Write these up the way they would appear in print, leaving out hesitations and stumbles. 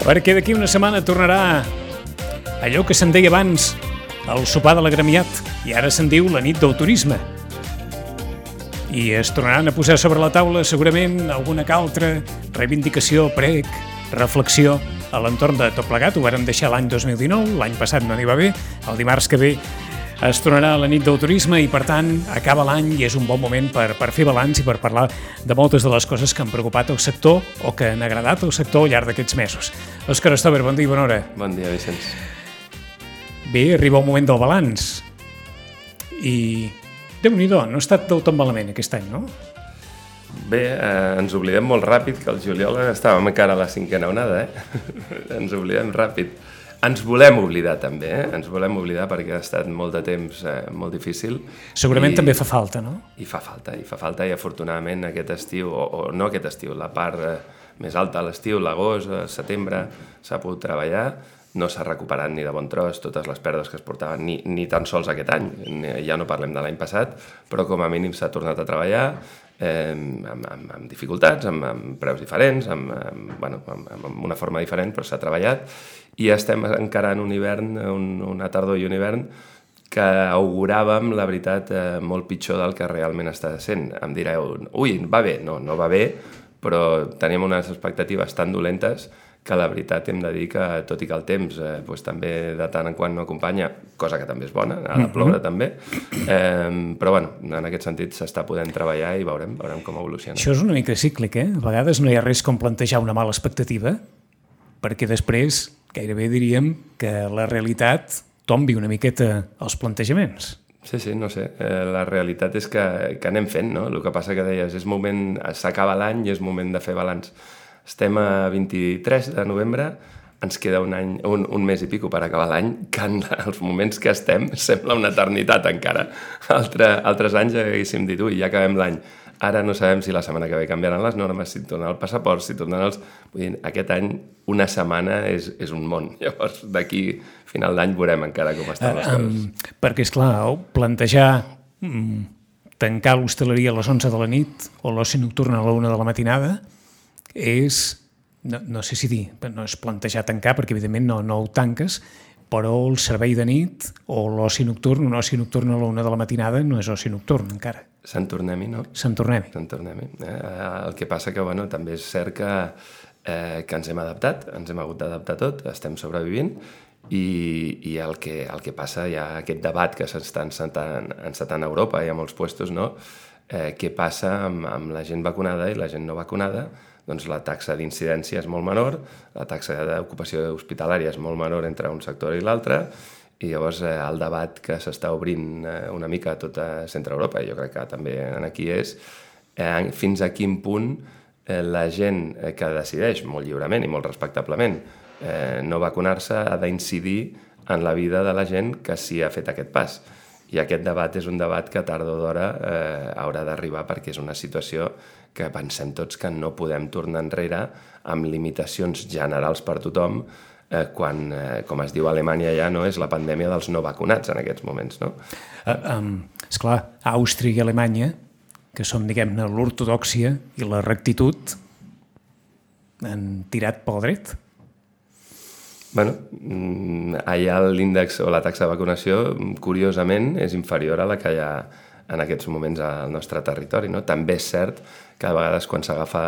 perquè d'aquí una setmana tornarà allò que se'n deia abans el sopar de l'agremiat i ara se'n diu la nit del turisme. I es tornaran a posar sobre la taula segurament alguna que altra reivindicació, prec, reflexió a l'entorn de tot plegat. Ho vàrem deixar l'any 2019, l'any passat no n'hi va bé, el dimarts que ve es tornarà la nit del turisme i per tant acaba l'any i és un bon moment per fer balanç i per parlar de moltes de les coses que han preocupat el sector o que han agradat al sector al llarg d'aquests mesos. Òscar Stover, bon dia i bona hora. Bon dia, Vicenç. Bé, arriba el moment del balanç i Déu-n'hi-do, no ha estat del tot malament aquest any, no? Bé, ens oblidem molt ràpid que el juliol estàvem encara a la cinquena onada, ens oblidem ràpid. Ens volem oblidar també, ens volem oblidar perquè ha estat molt de temps molt difícil. Segurament també fa falta, no? I fa falta i afortunadament aquest estiu, o no aquest estiu, la part més alta a l'estiu, l'agost, setembre, s'ha pogut treballar. No s'ha recuperat ni de bon tros totes les pèrdues que es portaven, ni tan sols aquest any, ja no parlem de l'any passat, però com a mínim s'ha tornat a treballar amb dificultats, amb preus diferents, amb una forma diferent, però s'ha treballat i estem encarant un hivern, una tardor i un hivern que auguràvem, la veritat, molt pitjor del que realment està sent. Em direu, ui, va bé, no va bé, però teníem unes expectatives tan dolentes que la veritat hem de dir que, tot i que el temps també de tant en quant no acompanya, cosa que també és bona, ha de ploure també, però bueno, en aquest sentit s'està podent treballar i veurem com evoluciona. Això és una mica cíclic, A vegades no hi ha res com plantejar una mala expectativa, perquè després gairebé diríem que la realitat tombi una miqueta els plantejaments. Sí, no sé, la realitat és que anem fent, no? El que passa que deies, s'acaba l'any i és moment de fer balanç. Estem a 23 de novembre, ens queda un mes i pico per acabar l'any, que en els moments que estem sembla una eternitat encara. Altres anys haguéssim dit, ui, ja acabem l'any. Ara no sabem si la setmana que ve canviaran les normes, si tornen el passaport, si tornen els... Vull dir, aquest any una setmana és un món. Llavors, d'aquí final d'any veurem encara com estan les coses. Perquè, esclar, plantejar tancar l'hostaleria a les 11 de la nit o l'oci nocturn a la 1 de la matinada és, no sé si dir, no és plantejar tancar perquè evidentment no ho tanques, però el servei de nit o l'oci nocturn, un oci nocturn a la 1 de la matinada no és oci nocturn encara. Sant tornem-hi, no? Sant tornem-hi. El que passa que, també és cert que ens hem adaptat, ens hem hagut d'adaptar tot, estem sobrevivint i el que passa, hi ha aquest debat que s'està encetant a Europa i a molts puestos, no? Què passa amb la gent vacunada i la gent no vacunada? Doncs la taxa d'incidència és molt menor, la taxa d'ocupació hospitalària és molt menor entre un sector i l'altre, i llavors el debat que s'està obrint una mica a tota centre Europa, i jo crec que també aquí és, fins a quin punt la gent que decideix molt lliurement i molt respectablement no vacunar-se ha d'incidir en la vida de la gent que sí ha fet aquest pas. I aquest debat és un debat que tard o d'hora haurà d'arribar perquè és una situació que pensem tots que no podem tornar enrere amb limitacions generals per tothom quan, com es diu a Alemanya ja, no és la pandèmia dels no vacunats en aquests moments, no? Esclar, Àustria i Alemanya, que són, diguem-ne, l'ortodòxia i la rectitud, han tirat pel dret. Allà l'índex o la taxa de vacunació, curiosament, és inferior a la que hi ha en aquests moments al nostre territori, no? També és cert que a vegades quan s'agafa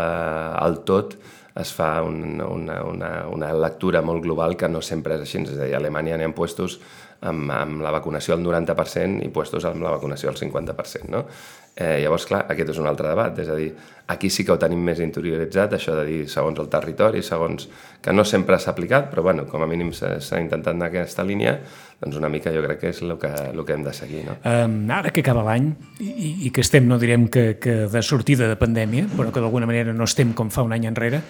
el tot es fa una lectura molt global que no sempre és així. És a dir, a Alemanya n'hi ha puestos amb la vacunació al 90% i puestos amb la vacunació al 50%, no? Llavors, clar, aquest és un altre debat. És a dir, aquí sí que ho tenim més interioritzat, això de dir segons el territori, segons... que no sempre s'ha aplicat, però bueno, com a mínim s'ha intentat anar aquesta línia, doncs una mica jo crec que és el que hem de seguir, no? Ara que acaba l'any i que estem, no direm que de sortida de pandèmia, però que d'alguna manera no estem com fa un any enrere,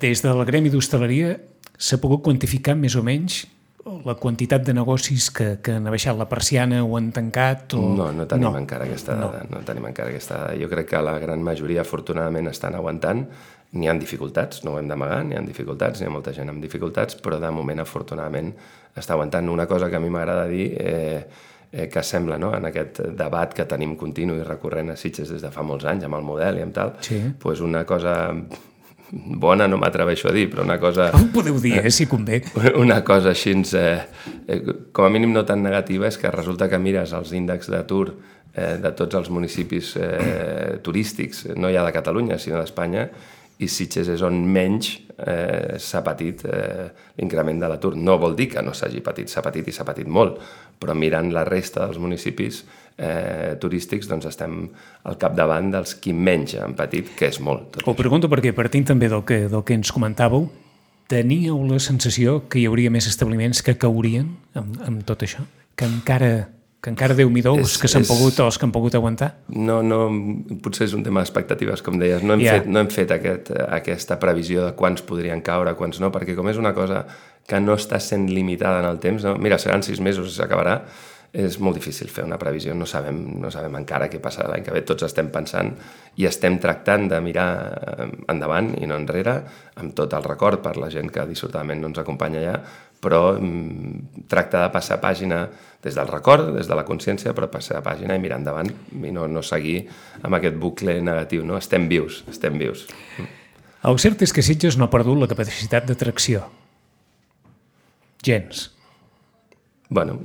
des del gremi d'hostaleria s'ha pogut quantificar més o menys la quantitat de negocis que han abaixat la persiana o han tancat? No tenim encara aquesta dada. No tenim encara aquesta dada. Jo crec que la gran majoria, afortunadament, estan aguantant. N'hi ha dificultats, no ho hem d'amagar, n'hi ha dificultats, n'hi ha molta gent amb dificultats, però de moment, afortunadament, està aguantant. Una cosa que a mi m'agrada dir que sembla, no?, en aquest debat que tenim continu i recurrent a Sitges des de fa molts anys, amb el model i amb tal, sí. Doncs una cosa bona no m'atreveixo a dir, però una cosa... Ho podeu dir, si convé. Una cosa així, com a mínim no tan negativa, és que resulta que mires els índexs d'atur de tots els municipis turístics, no ja de Catalunya, sinó d'Espanya, i Sitges és on menys s'ha patit l'increment de l'atur. No vol dir que no s'hagi patit, s'ha patit i s'ha patit molt, però mirant la resta dels municipis turístics doncs estem al capdavant dels qui menys han patit, que és molt. Ho pregunto perquè, partint també del que ens comentàveu, teníeu la sensació que hi hauria més establiments que caurien amb tot això? Que encara Déu-m'hi-do que s'han pogut o els que han pogut aguantar? No, potser és un tema d'expectatives, com deies. No hem fet aquesta previsió de quants podrien caure, quants no, perquè com és una cosa que no està sent limitada en el temps, no? Mira, seran 6 mesos i s'acabarà, és molt difícil fer una previsió, no sabem encara què passarà l'any que ve, tots estem pensant i estem tractant de mirar endavant i no enrere, amb tot el record per la gent que dissortadament no ens acompanya allà, però tracta de passar pàgina des del record, des de la consciència, però passar pàgina i mirar endavant i no seguir amb aquest bucle negatiu, no? Estem vius. El cert és que Sitges no ha perdut la capacitat d'atracció. Gens. Bueno,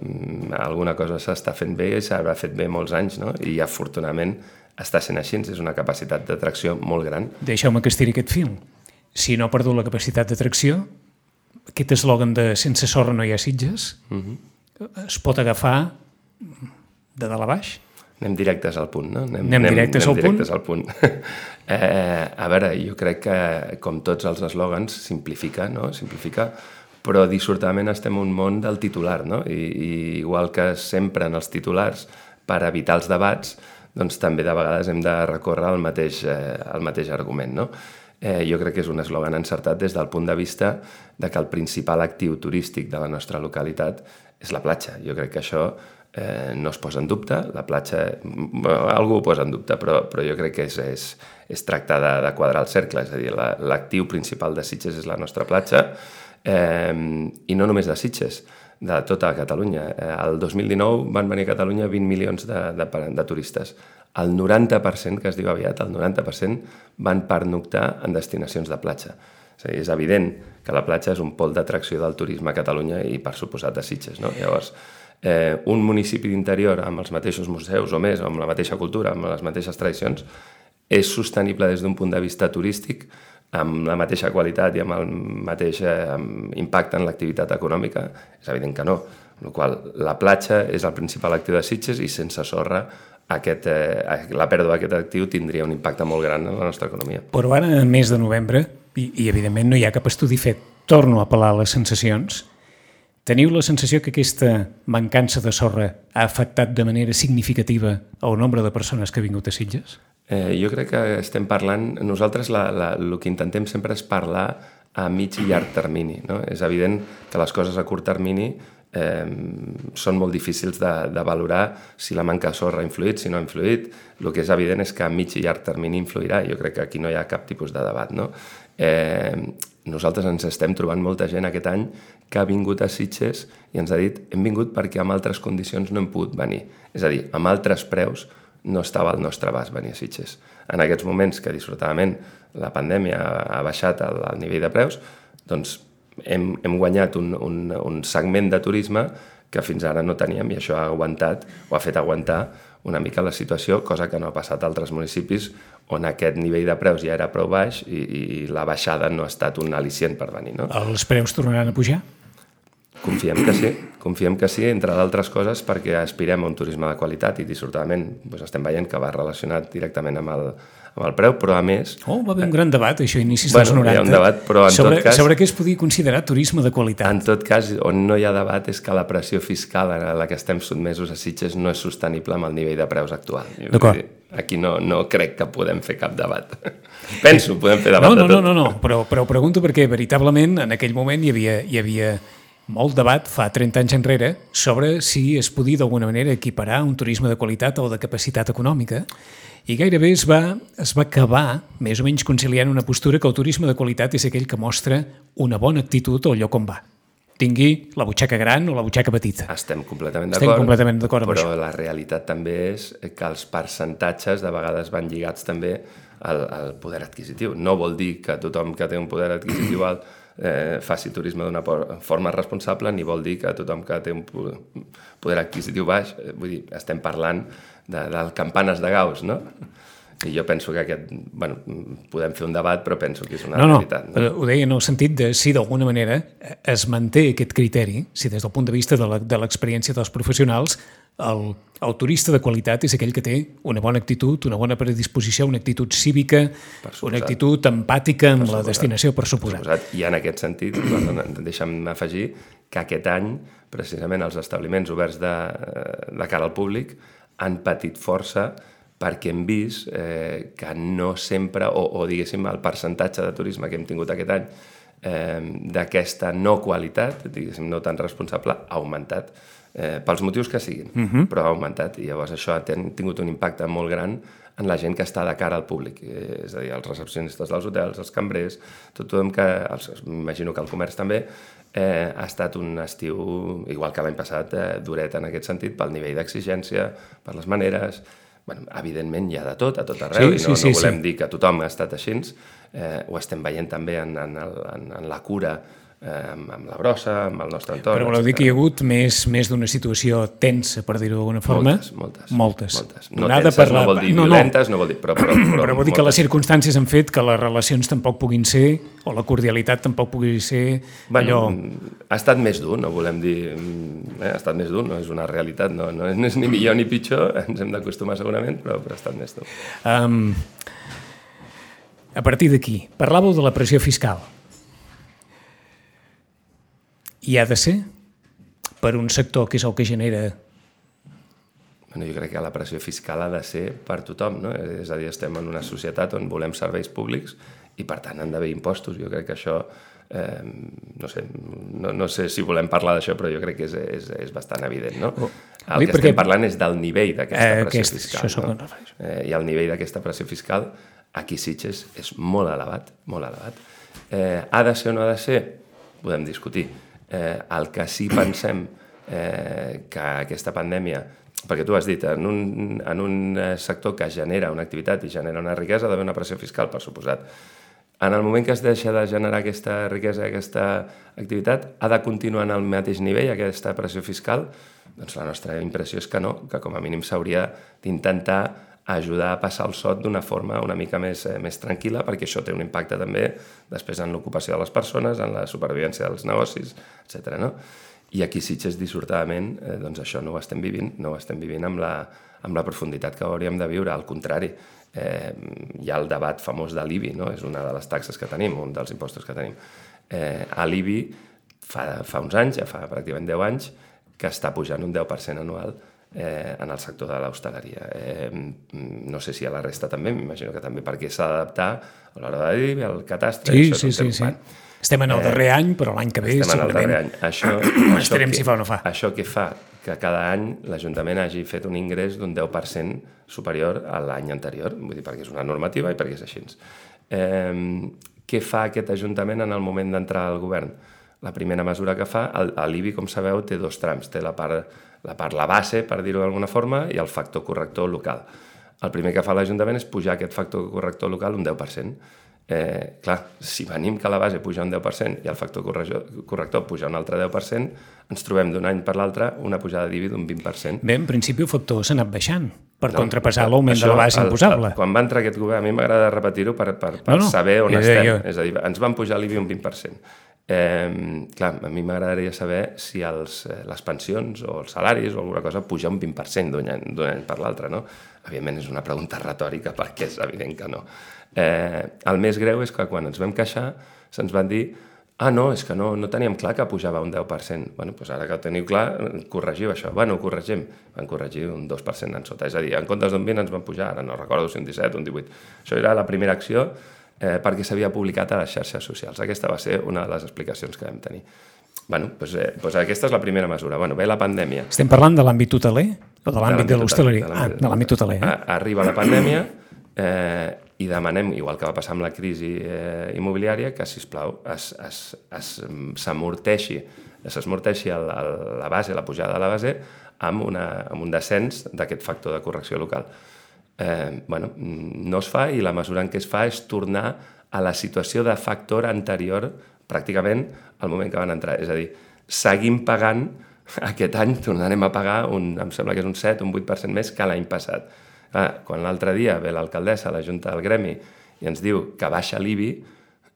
alguna cosa s'està fent bé i s'haurà fet bé molts anys, no? I afortunadament està sent així, és una capacitat d'atracció molt gran. Deixeu-me que estiri aquest fil. Si no ha perdut la capacitat d'atracció, aquest eslògan de sense sorra no hi ha Sitges, es pot agafar de dalt a baix? Anem directes al punt, no? Anem directes al punt? A veure, jo crec que, com tots els eslògans, simplifica, però dissortadament estem en un món del titular, no? I igual que sempre en els titulars, per evitar els debats, doncs també de vegades hem de recórrer al mateix argument, no? Jo crec que és un eslògan encertat des del punt de vista de que el principal actiu turístic de la nostra localitat és la platja. Jo crec que això no es posa en dubte, la platja, algú ho posa en dubte, però jo crec que és tractar de quadrar el cercle, és a dir, l'actiu principal de Sitges és la nostra platja, i no només de Sitges, de tota Catalunya. El 2019 van venir a Catalunya 20 milions de turistes. El 90%, que es diu aviat, el 90% van pernoctar en destinacions de platja. És evident que la platja és un pol d'atracció del turisme a Catalunya i per suposat a Sitges, no? Llavors, un municipi d'interior amb els mateixos museus o més, amb la mateixa cultura, amb les mateixes tradicions, és sostenible des d'un punt de vista turístic, amb la mateixa qualitat i amb el mateix impacte en l'activitat econòmica? És evident que no. Amb la qual cosa, la platja és el principal actiu de Sitges i sense sorra la pèrdua d'aquest actiu tindria un impacte molt gran en la nostra economia. Però ara, a mes de novembre, i evidentment no hi ha cap estudi fet, torno a apel·lar a les sensacions, teniu la sensació que aquesta mancança de sorra ha afectat de manera significativa el nombre de persones que ha vingut a Sitges? Jo crec que estem parlant... Nosaltres el que intentem sempre és parlar a mig i llarg termini, no? És evident que les coses a curt termini són molt difícils de valorar si la manca de sorra ha influït, si no ha influït. El que és evident és que a mig i llarg termini influirà. Jo crec que aquí no hi ha cap tipus de debat, no? Nosaltres ens estem trobant molta gent aquest any que ha vingut a Sitges i ens ha dit hem vingut perquè amb altres condicions no hem pogut venir. És a dir, amb altres preus no estava al nostre abast venir a Sitges. En aquests moments que dissortadament la pandèmia ha baixat el nivell de preus, doncs hem guanyat un segment de turisme que fins ara no teníem i això ha fet aguantar una mica la situació, cosa que no ha passat a altres municipis on aquest nivell de preus ja era prou baix i la baixada no ha estat un al·licient per venir, no? Els preus tornaran a pujar? Confiem que sí, entre d'altres coses perquè aspirem a un turisme de qualitat i dissortadament estem veient que va relacionat directament amb el preu, però a més... va haver un gran debat, això, inicis dels 90. Hi ha un debat, però en tot cas... Sobre què es podia considerar turisme de qualitat. En tot cas, on no hi ha debat és que la pressió fiscal a la que estem sotmesos a Sitges no és sostenible amb el nivell de preus actual. D'acord. Aquí no crec que podem fer cap debat. Penso, podem fer debat de tot. No, però pregunto perquè veritablement en aquell moment hi havia molt debat, fa 30 anys enrere, sobre si es podia d'alguna manera equiparar un turisme de qualitat o de capacitat econòmica, i gairebé es va acabar més o menys conciliant una postura que el turisme de qualitat és aquell que mostra una bona actitud al lloc on va. tingui la butxaca gran o la butxaca petita. Estem completament d'acord amb però això. La realitat també és que els percentatges de vegades van lligats també al poder adquisitiu. No vol dir que tothom que té un poder adquisitiu alt faci turisme d'una forma responsable, ni vol dir que tothom que té un poder adquisitiu baix, vull dir, estem parlant del campanes de Gauss, no? I jo penso que podem fer un debat, però penso que és una realitat. No, ho deia en el sentit de si d'alguna manera es manté aquest criteri, si des del punt de vista de l'experiència dels professionals, el turista de qualitat és aquell que té una bona actitud, una bona predisposició, una actitud cívica, una actitud empàtica amb la destinació, per suposat. I en aquest sentit, deixa'm afegir que aquest any, precisament, els establiments oberts de cara al públic han patit força perquè hem vist que no sempre, o diguéssim, el percentatge de turisme que hem tingut aquest any d'aquesta no qualitat, diguéssim, no tan responsable, ha augmentat, pels motius que siguin, però ha augmentat, i llavors això ha tingut un impacte molt gran en la gent que està de cara al públic, és a dir, els recepcionistes dels hotels, els cambrers, tothom que, m'imagino que el comerç també, ha estat un estiu, igual que l'any passat, duret en aquest sentit, pel nivell d'exigència, per les maneres. Evidentment hi ha de tot, a tot arreu, i no volem dir que tothom ha estat així, ho estem veient també en la cura, amb la brossa, amb el nostre entorn. Però voleu dir que hi ha hagut més d'una situació tensa, per dir-ho d'alguna forma? Moltes. No tenses no vol dir violentes, no vol dir... Però vol dir que les circumstàncies han fet que les relacions tampoc puguin ser, o la cordialitat tampoc pugui ser allò... Ha estat més dur, no volem dir... Ha estat més dur, no és una realitat, no és ni millor ni pitjor, ens hem d'acostumar segurament, però ha estat més dur. A partir d'aquí, parlàveu de la pressió fiscal. I ha de ser per un sector que és el que genera... Jo crec que la pressió fiscal ha de ser per tothom, no? És a dir, estem en una societat on volem serveis públics i, per tant, han d'haver impostos. Jo crec que això, no sé si volem parlar d'això, però jo crec que és bastant evident, no? El que estem parlant és del nivell d'aquesta pressió fiscal. I el nivell d'aquesta pressió fiscal aquí a Sitges és molt elevat, molt elevat. Ha de ser o no ha de ser? Podem discutir. El que sí pensem que aquesta pandèmia, perquè tu has dit, en un sector que genera una activitat i genera una riquesa, ha d'haver una pressió fiscal, per suposat. En el moment que es deixa de generar aquesta riquesa, aquesta activitat, ha de continuar en el mateix nivell, aquesta pressió fiscal? Doncs la nostra impressió és que no, que com a mínim s'hauria d'intentar ajudar a passar el sot d'una forma una mica més tranquil·la, perquè això té un impacte també després en l'ocupació de les persones, en la supervivència dels negocis, etc. No? I aquí Sitges, dissortadament, doncs això no ho estem vivint amb la profunditat que hauríem de viure. Al contrari, hi ha el debat famós de l'IBI, no? És una de les taxes que tenim, un dels impostos que tenim. A l'IBI fa uns anys, ja fa pràcticament 10 anys, que està pujant un 10% anual en el sector de l'hostaleria. No sé si a la resta també, m'imagino que també, perquè s'ha d'adaptar a l'hora de dir, al catastre. Sí. Estem en el darrer any, però l'any que ve segurament estarem si fa o no fa. Això que fa que cada any l'Ajuntament hagi fet un ingrés d'un 10% superior a l'any anterior, vull dir, perquè és una normativa i perquè és així. Què fa aquest Ajuntament en el moment d'entrar al govern? La primera mesura que fa, l'IBI, com sabeu, té dos trams. Té la base, per dir-ho d'alguna forma, i el factor corrector local. El primer que fa l'Ajuntament és pujar aquest factor corrector local un 10%. Clar, si venim que la base puja un 10% i el factor corrector puja un altre 10%, ens trobem d'un any per l'altre una pujada d'IBI d'un 20%. Bé, en principi el factor s'ha anat baixant per contrapassar l'augment de la base imposable. Quan va entrar aquest govern, a mi m'agrada repetir-ho per saber on estem. És a dir, ens van pujar l'IBI un 20%. Clar, a mi m'agradaria saber si les pensions o els salaris o alguna cosa puja un 20% d'un any per l'altre, no? Evidentment és una pregunta retòrica perquè és evident que no. El més greu és que quan ens vam queixar se'ns van dir no, és que no teníem clar que pujava un 10%. Bueno, doncs ara que ho teniu clar, corregiu això. Bueno, ho corregim. Van corregir un 2% en sota. És a dir, en comptes d'un 20 ens van pujar, ara no recordo si un 17 o un 18. Això era la primera acció perquè s'havia publicat a les xarxes socials. Aquesta va ser una de les explicacions que vam tenir. Bueno, doncs aquesta és la primera mesura. Bueno, ve la pandèmia. Estem parlant de l'àmbit hoteler o de l'àmbit de l'hostaleria? De l'àmbit hoteler. Arriba la pandèmia i demanem, igual que va passar amb la crisi immobiliària, que, sisplau, s'amorteixi la base, la pujada de la base, amb un descens d'aquest factor de correcció local. No es fa, i la mesura en què es fa és tornar a la situació de factor anterior pràcticament al moment que van entrar. És a dir, seguim pagant, aquest any tornarem a pagar, em sembla que és un 7 o un 8% més que l'any passat. Quan l'altre dia ve l'alcaldessa a la Junta del Gremi i ens diu que baixa l'IBI,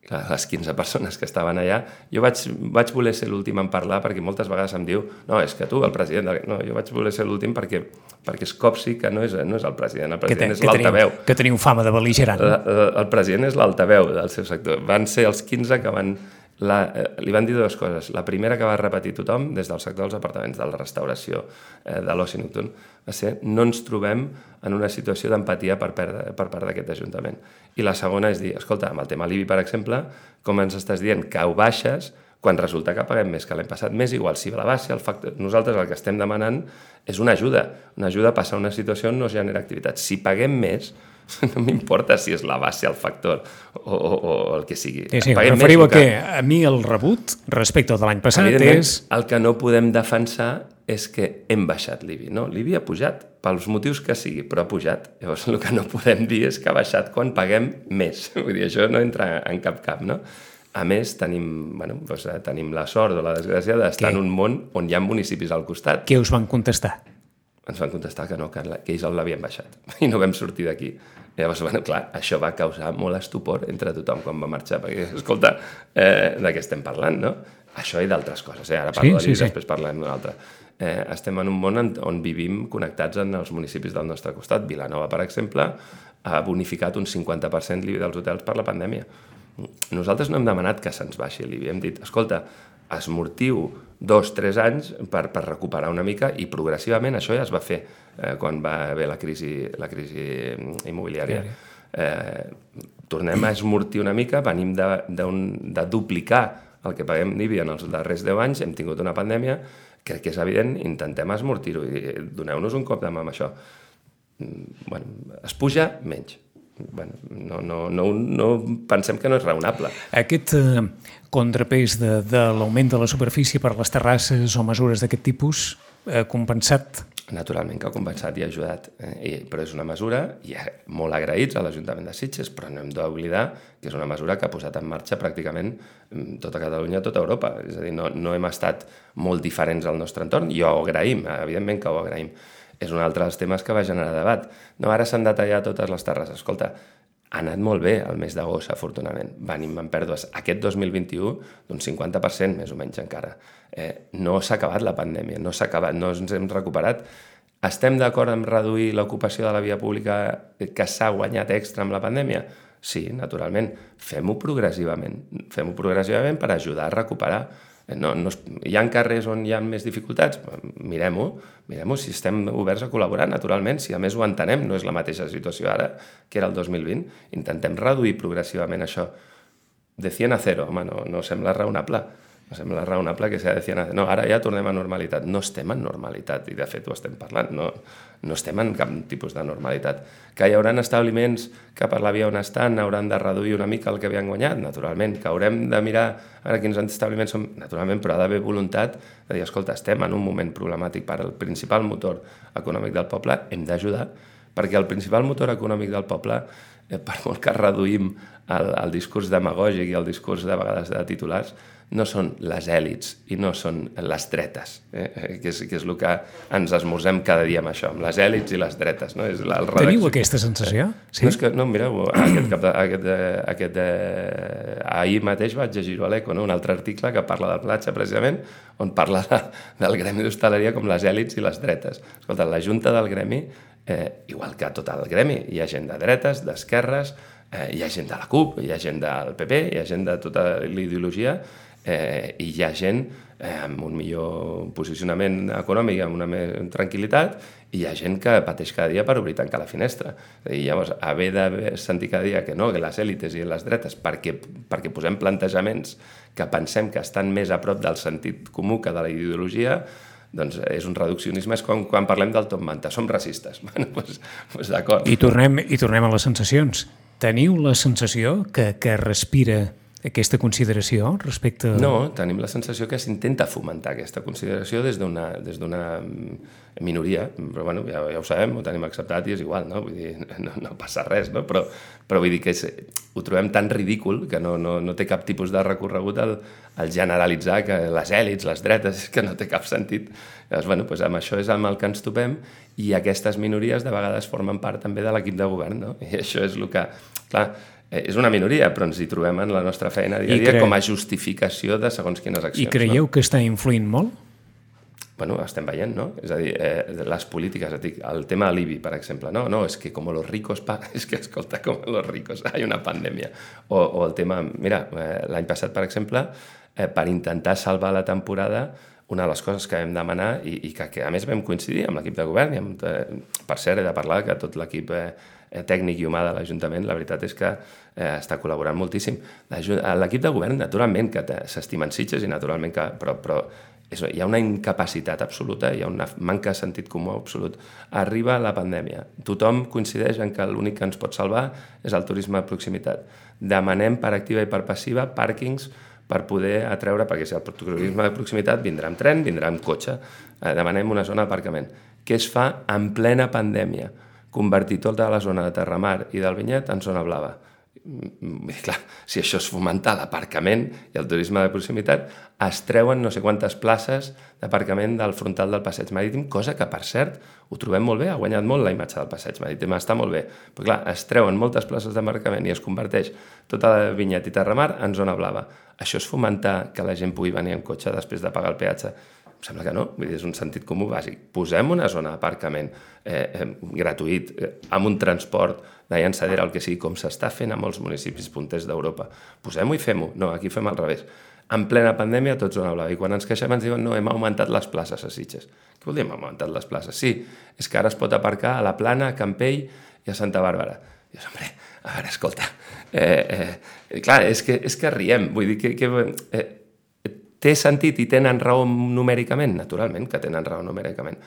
les 15 persones que estaven allà, jo vaig voler ser l'últim en parlar, perquè moltes vegades em diu, no, és que tu, el president... No, jo vaig voler ser l'últim perquè es copsi que no és el president és l'altaveu. Que teniu fama de bel·ligerant. El president és l'altaveu del seu sector. Van ser els 15 que li van dir dues coses. La primera que va repetir tothom, des del sector dels apartaments, de la restauració, de l'oci nocturn, va ser no ens trobem en una situació d'empatia per part d'aquest Ajuntament. I la segona és dir, escolta, amb el tema l'IBI, per exemple, com ens estàs dient que ho baixes quan resulta que paguem més que l'any passat, més igual si la baixa, nosaltres el que estem demanant és una ajuda a passar a una situació on no es genera activitat. Si paguem més, no m'importa si és la base, el factor o el que sigui. Sí, referiu a que a mi el rebut respecte de l'any passat és... El que no podem defensar és que hem baixat l'IBI. No, l'IBI ha pujat, pels motius que sigui, però ha pujat. Llavors, el que no podem dir és que ha baixat quan paguem més. Vull dir, això no entra en cap, no? A més, tenim la sort o la desgràcia d'estar en un món on hi ha municipis al costat. Què us van contestar? Ens van contestar que no, que ells l'havien baixat i no vam sortir d'aquí. Llavors, clar, això va causar molt estupor entre tothom quan va marxar, perquè, escolta, de què estem parlant, no? Això i d'altres coses, ara parlo de l'IBI, després parlem d'una altra. Estem en un món on vivim connectats en els municipis del nostre costat. Vilanova, per exemple, ha bonificat un 50% l'IBI dels hotels per la pandèmia. Nosaltres no hem demanat que se'ns baixi l'IBI, hem dit, escolta, esmortiu 2-3 anys per recuperar una mica, i progressivament això ja es va fer quan va haver la crisi immobiliària. Tornem a esmortir una mica, venim de duplicar el que paguem d'IBI en els darrers 10 anys, hem tingut una pandèmia, crec que és evident, intentem esmortir-ho i doneu-nos un cop de mà amb això. Es puja menys. No pensem que no és raonable. Aquest contrapès de l'augment de la superfície per les terrasses o mesures d'aquest tipus ha compensat? Naturalment que ha compensat i ha ajudat, però és una mesura, i molt agraïts a l'Ajuntament de Sitges, però no hem d'oblidar que és una mesura que ha posat en marxa pràcticament tota Catalunya, tota Europa. És a dir, no hem estat molt diferents al nostre entorn, i ho agraïm, evidentment que ho agraïm. És un altre dels temes que va generar debat. No, ara s'han de tallar totes les terrasses. Escolta, ha anat molt bé el mes d'agost, afortunadament. Venim en pèrdues aquest 2021 d'un 50%, més o menys encara. No s'ha acabat la pandèmia, no s'ha acabat, no ens hem recuperat. Estem d'acord en reduir l'ocupació de la via pública que s'ha guanyat extra amb la pandèmia? Sí, naturalment. Fem-ho progressivament per ajudar a recuperar. Hi ha carrers on hi ha més dificultats? Mirem-ho si estem oberts a col·laborar, naturalment, si a més ho entenem, no és la mateixa situació ara que era el 2020. Intentem reduir progressivament això. De 100 a 0, home, no sembla raonable. No sembla raonable que sigui de 100 a 0. No, ara ja tornem a normalitat. No estem en normalitat, i de fet ho estem parlant. No estem en cap tipus de normalitat. Que hi haurà establiments que per la via on estan hauran de reduir una mica el que havien guanyat? Naturalment. Que haurem de mirar ara quins establiments són? Naturalment, però ha d'haver voluntat de dir, escolta, estem en un moment problemàtic per al principal motor econòmic del poble, hem d'ajudar, perquè el principal motor econòmic del poble, per molt que reduïm el discurs demagògic i el discurs de vegades de titulars, no són les èlits i no són les dretes, que és el que ens esmorzem cada dia amb això, amb les èlits i les dretes. No? Teniu aquesta sensació? Sí? No, mireu, ahir mateix vaig llegir-ho a l'Eco, un altre article que parla del platja, precisament, on parla del gremi d'hostaleria com les èlits i les dretes. Escolta, la Junta del Gremi, igual que tot el gremi, hi ha gent de dretes, d'esquerres, hi ha gent de la CUP, hi ha gent del PP, hi ha gent de tota l'ideologia, i hi ha gent amb un millor posicionament econòmic, amb una més tranquil·litat, i hi ha gent que pateix cada dia per obrir i tancar la finestra. I llavors, haver de sentir cada dia que no, que les èlites i les dretes, perquè posem plantejaments que pensem que estan més a prop del sentit comú que de la ideologia, doncs és un reduccionisme, és com quan parlem del top manta, som racistes. Doncs d'acord. I tornem a les sensacions. Teniu la sensació que respira aquesta consideració respecte... No, tenim la sensació que s'intenta fomentar aquesta consideració des d'una minoria, però bueno, ja ho sabem, ho tenim acceptat i és igual, no? Vull dir, no passa res, no? Però vull dir que ho trobem tan ridícul que no té cap tipus de recorregut el generalitzar que les èlits, les dretes, que no té cap sentit. Llavors, bueno, doncs amb això és amb el que ens topem i aquestes minories de vegades formen part també de l'equip de govern, no? I això és el que... Clar, és una minoria, però ens hi trobem en la nostra feina dia a dia com a justificació de segons quines accions. I creieu que està influint molt? Bueno, estem veient, no? És a dir, les polítiques, el tema de l'IBI, per exemple, no, és que com los ricos és que, escolta, com los ricos, hi ha una pandèmia. O el tema, mira, l'any passat, per exemple, per intentar salvar la temporada, una de les coses que vam demanar i que a més vam coincidir amb l'equip de govern, i per cert, he de parlar que tot l'equip tècnic i humà de l'Ajuntament, la veritat és que està col·laborant moltíssim. L'equip de govern, naturalment, que s'estimen Sitges i naturalment que... Però hi ha una incapacitat absoluta, hi ha una manca de sentit comú absolut. Arriba la pandèmia. Tothom coincideix en que l'únic que ens pot salvar és el turisme de proximitat. Demanem per activa i per passiva pàrquings per poder atreure, perquè si el turisme de proximitat vindrà amb tren, vindrà amb cotxe. Demanem una zona d'aparcament. Què es fa en plena pandèmia? Convertir tota la zona de Terramar i del Vinyet en zona blava. Clar, si això és fomentar l'aparcament i el turisme de proximitat, es treuen no sé quantes places d'aparcament del frontal del Passeig Marítim, cosa que, per cert, ho trobem molt bé, ha guanyat molt la imatge del Passeig Marítim, està molt bé. Però clar, es treuen moltes places d'aparcament i es converteix tota la Vinyet i Terramar en zona blava. Això és fomentar que la gent pugui venir en cotxe després de pagar el peatge? Em sembla que no, vull dir, és un sentit comú bàsic. Posem una zona d'aparcament gratuït, amb un transport de llançadera, el que sigui, com s'està fent a molts municipis punters d'Europa. Posem-ho i fem-ho. No, aquí fem al revés. En plena pandèmia, tot zona blava. I quan ens queixem ens diuen, no, hem augmentat les places a Sitges. Què vol dir hem augmentat les places? Sí, és que ara es pot aparcar a la Plana, a Campell i a Santa Bàrbara. I dius, hombre, a veure, escolta, clar, és que riem, vull dir que té sentit i tenen raó numèricament? Naturalment que tenen raó numèricament.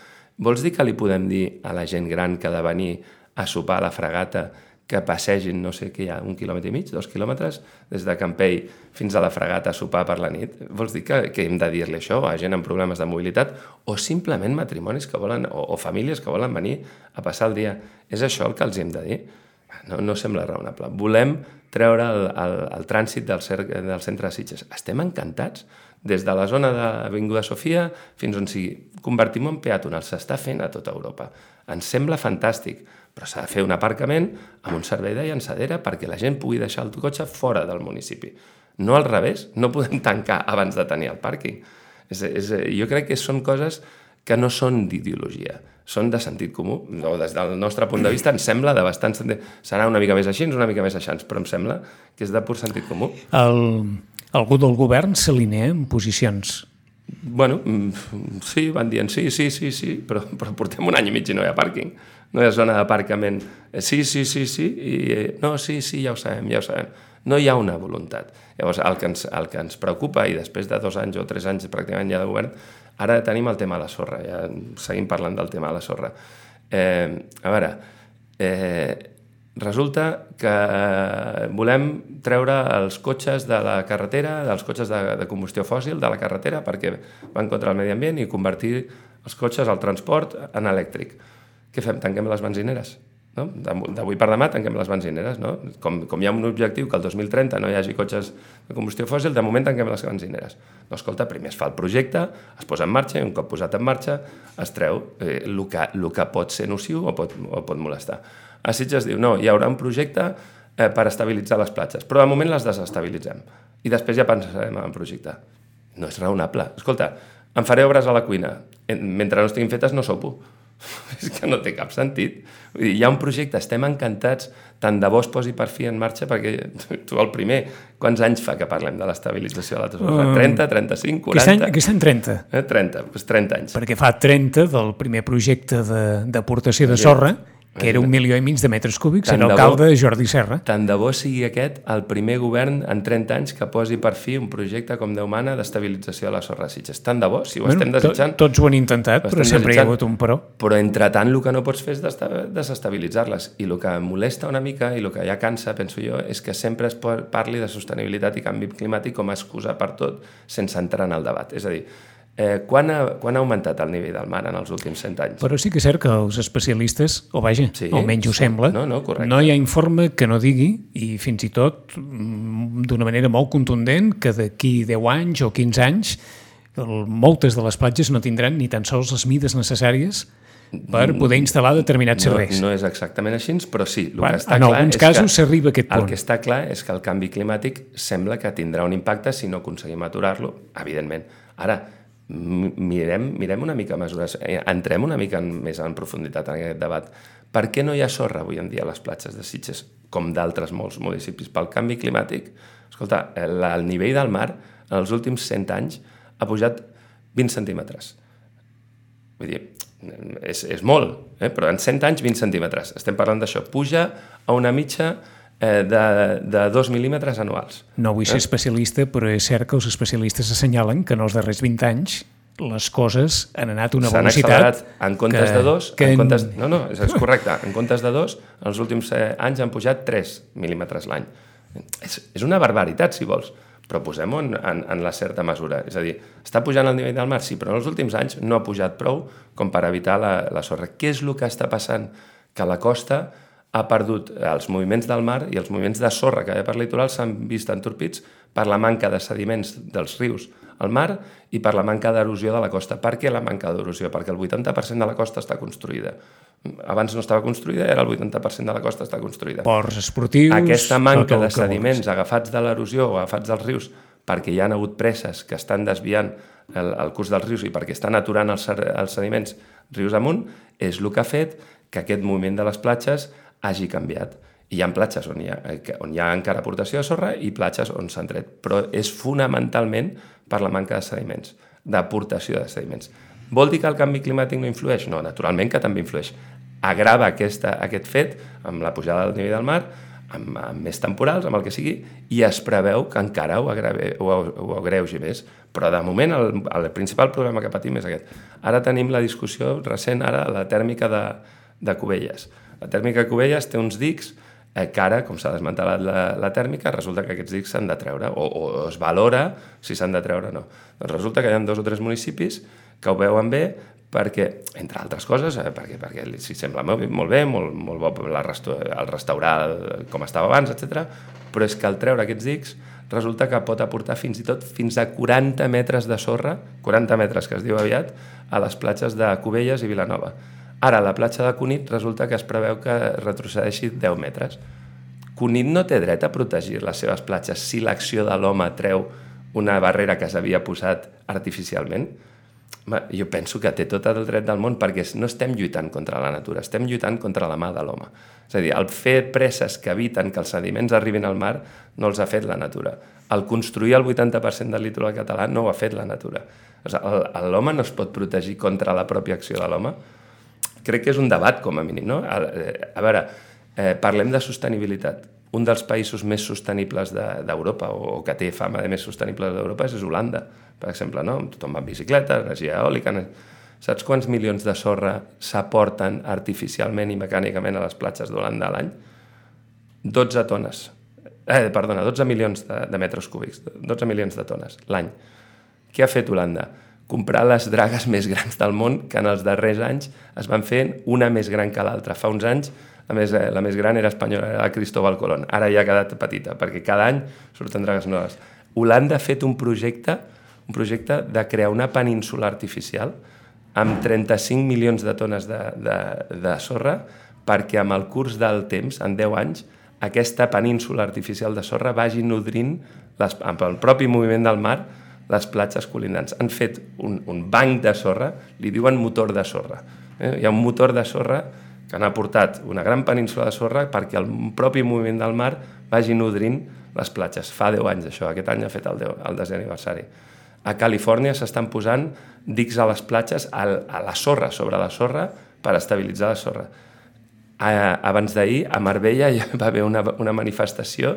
Vols dir que li podem dir a la gent gran que ha de venir a sopar a la Fragata que passegin, no sé què hi ha, 1,5 quilòmetres, 2 quilòmetres, des de Campell fins a la Fragata a sopar per la nit? Vols dir que hem de dir-li això a gent amb problemes de mobilitat o simplement matrimonis que volen o famílies que volen venir a passar el dia? És això el que els hem de dir? No sembla raonable. Volem treure el trànsit del centre de Sitges. Estem encantats. Des de la zona d'Avinguda Sofia fins on sigui. Convertim-ho en peatonal. S'està fent a tota Europa. Ens sembla fantàstic, però s'ha de fer un aparcament amb un servei de llançadera perquè la gent pugui deixar el cotxe fora del municipi. No al revés. No podem tancar abans de tenir el pàrquing. Jo crec que són coses que no són d'ideologia, són de sentit comú. Des del nostre punt de vista ens sembla de bastant sentit. Serà una mica més així, una mica més així, però em sembla que és de pur sentit comú. Algú del govern s'alinea en posicions? Bueno, sí, van dient sí, però portem un any i mig i no hi ha pàrquing. No hi ha zona d'aparcament. Sí, i no, sí, ja ho sabem. No hi ha una voluntat. Llavors, el que ens preocupa, i després de 2 anys o 3 anys pràcticament ja de govern, ara tenim el tema de la sorra, ja seguim parlant del tema de la sorra. A veure, resulta que volem treure els cotxes de la carretera, dels cotxes de combustió fòssil de la carretera perquè van contra el medi ambient i convertir els cotxes al transport en elèctric. Què fem? Tanquem les benzineres? No? D'avui per demà tanquem les benzineres. No? Com hi ha un objectiu que el 2030 no hi hagi cotxes de combustió fòssil, de moment tanquem les benzineres. No, escolta, primer es fa el projecte, es posa en marxa i un cop posat en marxa es treu el que pot ser nociu o pot molestar. A Sitges diu, no, hi haurà un projecte per estabilitzar les platges, però de moment les desestabilitzem i després ja pensarem en el projecte. No és raonable. Escolta, em faré obres a la cuina, mentre no estiguin fetes no sopo. És que no té cap sentit. Vull dir, hi ha un projecte, estem encantats, tant de bo es posi per fi en marxa, perquè tu el primer, quants anys fa que parlem de l'estabilització de la sorra? 30, 35, 40? Aquest any 30. 30, doncs 30 anys. Perquè fa 30 del primer projecte d'aportació de sorra que era 1,5 milions de metres cúbics, era alcalde Jordi Serra. Tant de bo sigui aquest el primer govern en 30 anys que posi per fi un projecte com Déu mana d'estabilització de la sorra de Sitges. Tant de bo, si ho estem desitjant... Tots ho han intentat, però sempre hi ha hagut un però. Però entretant el que no pots fer és desestabilitzar-les. I el que molesta una mica i el que ja cansa, penso jo, és que sempre es parli de sostenibilitat i canvi climàtic com a excusa per tot sense entrar en el debat. És a dir, quan ha augmentat el nivell del mar en els últims 100 anys? Però sí que és cert que els especialistes, almenys ho sembla, no hi ha informe que no digui, i fins i tot d'una manera molt contundent, que d'aquí 10 anys o 15 anys moltes de les platges no tindran ni tan sols les mides necessàries per poder instal·lar determinats serveis. No és exactament així, però sí. En alguns casos s'arriba a aquest punt. El que està clar és que el canvi climàtic sembla que tindrà un impacte si no aconseguim aturar-lo, evidentment. Ara, mirem una mica mesures, entrem una mica més en profunditat en aquest debat. Per què no hi ha sorra avui en dia a les platges de Sitges, com d'altres molts municipis? Pel canvi climàtic, escolta, el nivell del mar en els últims 100 anys ha pujat 20 centímetres. Vull dir, és molt, però en 100 anys 20 centímetres. Estem parlant d'això. Puja a una mitja de 2 mil·límetres anuals. No vull ser especialista, però és cert que els especialistes assenyalen que en els darrers 20 anys les coses han anat a una velocitat... S'han accelerat en comptes de 2... No, és correcte. En comptes de 2, en els últims anys han pujat 3 mil·límetres l'any. És una barbaritat, si vols, però posem-ho en la certa mesura. És a dir, està pujant el nivell del mar, sí, però en els últims anys no ha pujat prou com per evitar la sorra. Què és el que està passant? Que la costa ha perdut els moviments del mar i els moviments de sorra que hi ha per litoral s'han vist entorpits per la manca de sediments dels rius al mar i per la manca d'erosió de la costa. Per què la manca d'erosió? Perquè el 80% de la costa està construïda. Abans no estava construïda, ara el 80% de la costa està construïda. Ports esportius... Aquesta manca de sediments agafats de l'erosió o agafats dels rius perquè hi ha hagut presses que estan desviant el curs dels rius i perquè estan aturant els sediments rius amunt és el que ha fet que aquest moviment de les platges hagi canviat. I hi ha platges on hi ha encara aportació de sorra i platges on s'han tret. Però és fonamentalment per la manca de sediments, d'aportació de sediments. Vol dir que el canvi climàtic no influeix? No, naturalment que també influeix. Agrava aquest fet amb la pujada del nivell del mar, amb més temporals, amb el que sigui, i es preveu que encara ho agreugi més. Però de moment el principal problema que patim és aquest. Ara tenim la discussió recent, la tèrmica de Cubelles. La tèrmica de Cubelles té uns dics que ara, com s'ha desmantelat la tèrmica, resulta que aquests dics s'han de treure, o es valora si s'han de treure o no. Doncs resulta que hi ha 2 o 3 municipis que ho veuen bé perquè, entre altres coses, perquè si sembla molt bé, molt bo el restaurar com estava abans, etc. Però és que al treure aquests dics resulta que pot aportar fins a 40 metres de sorra, 40 metres que es diu aviat, a les platges de Cubelles i Vilanova. Ara, la platja de Cunit resulta que es preveu que retrocedeixi 10 metres. Cunit no té dret a protegir les seves platges si l'acció de l'home treu una barrera que s'havia posat artificialment. Jo penso que té tot el dret del món perquè no estem lluitant contra la natura, estem lluitant contra la mà de l'home. És a dir, el fer presses que eviten que els sediments arribin al mar no els ha fet la natura. El construir el 80% del litoral català no ho ha fet la natura. L'home no es pot protegir contra la pròpia acció de l'home. Crec que és un debat, com a mínim, no? A veure, parlem de sostenibilitat. Un dels països més sostenibles d'Europa, o que té fama de més sostenibles d'Europa, és Holanda, per exemple, no? Tothom va en bicicleta, energia eòlica... Saps quants milions de sorra s'aporten artificialment i mecànicament a les platges d'Holanda a l'any? 12 tones. 12 milions de metres cúbics. 12 milions de tones l'any. Què ha fet Holanda? Comprar les dragues més grans del món, que en els darrers anys es van fent una més gran que l'altra. Fa uns anys la més gran era espanyola, era la Cristóbal Colón. Ara ja ha quedat petita, perquè cada any surten dragues noves. Holanda ha fet un projecte de crear una península artificial amb 35 milions de tones de sorra perquè amb el curs del temps, en 10 anys, aquesta península artificial de sorra vagi nodrint, amb el propi moviment del mar, les platges colindants. Han fet un banc de sorra, li diuen motor de sorra. Hi ha un motor de sorra que han aportat una gran península de sorra perquè el propi moviment del mar vagi nodrint les platges. Fa 10 anys això, aquest any ha fet el 10è aniversari. A Califòrnia s'estan posant dics a les platges, a la sorra, sobre la sorra, per estabilitzar la sorra. abans d'ahir, a Marbella hi va haver una manifestació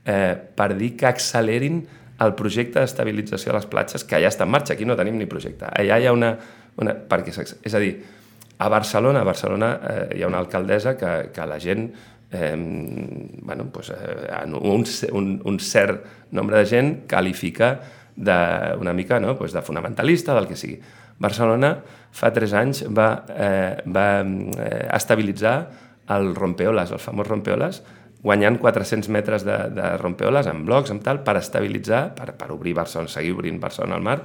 per dir que accelerin el projecte d'estabilització de les platges, que ja està en marxa. Aquí no tenim ni projecte. Allà hi ha és a dir, a Barcelona hi ha una alcaldessa que la gent, un cert nombre de gent qualifica una mica de fonamentalista, del que sigui. Barcelona fa 3 anys va estabilitzar el rompeoles, el famós rompeoles, guanyant 400 metres de rompeoles en blocs, per estabilitzar, per obrir Barcelona, seguir obrint Barcelona al mar.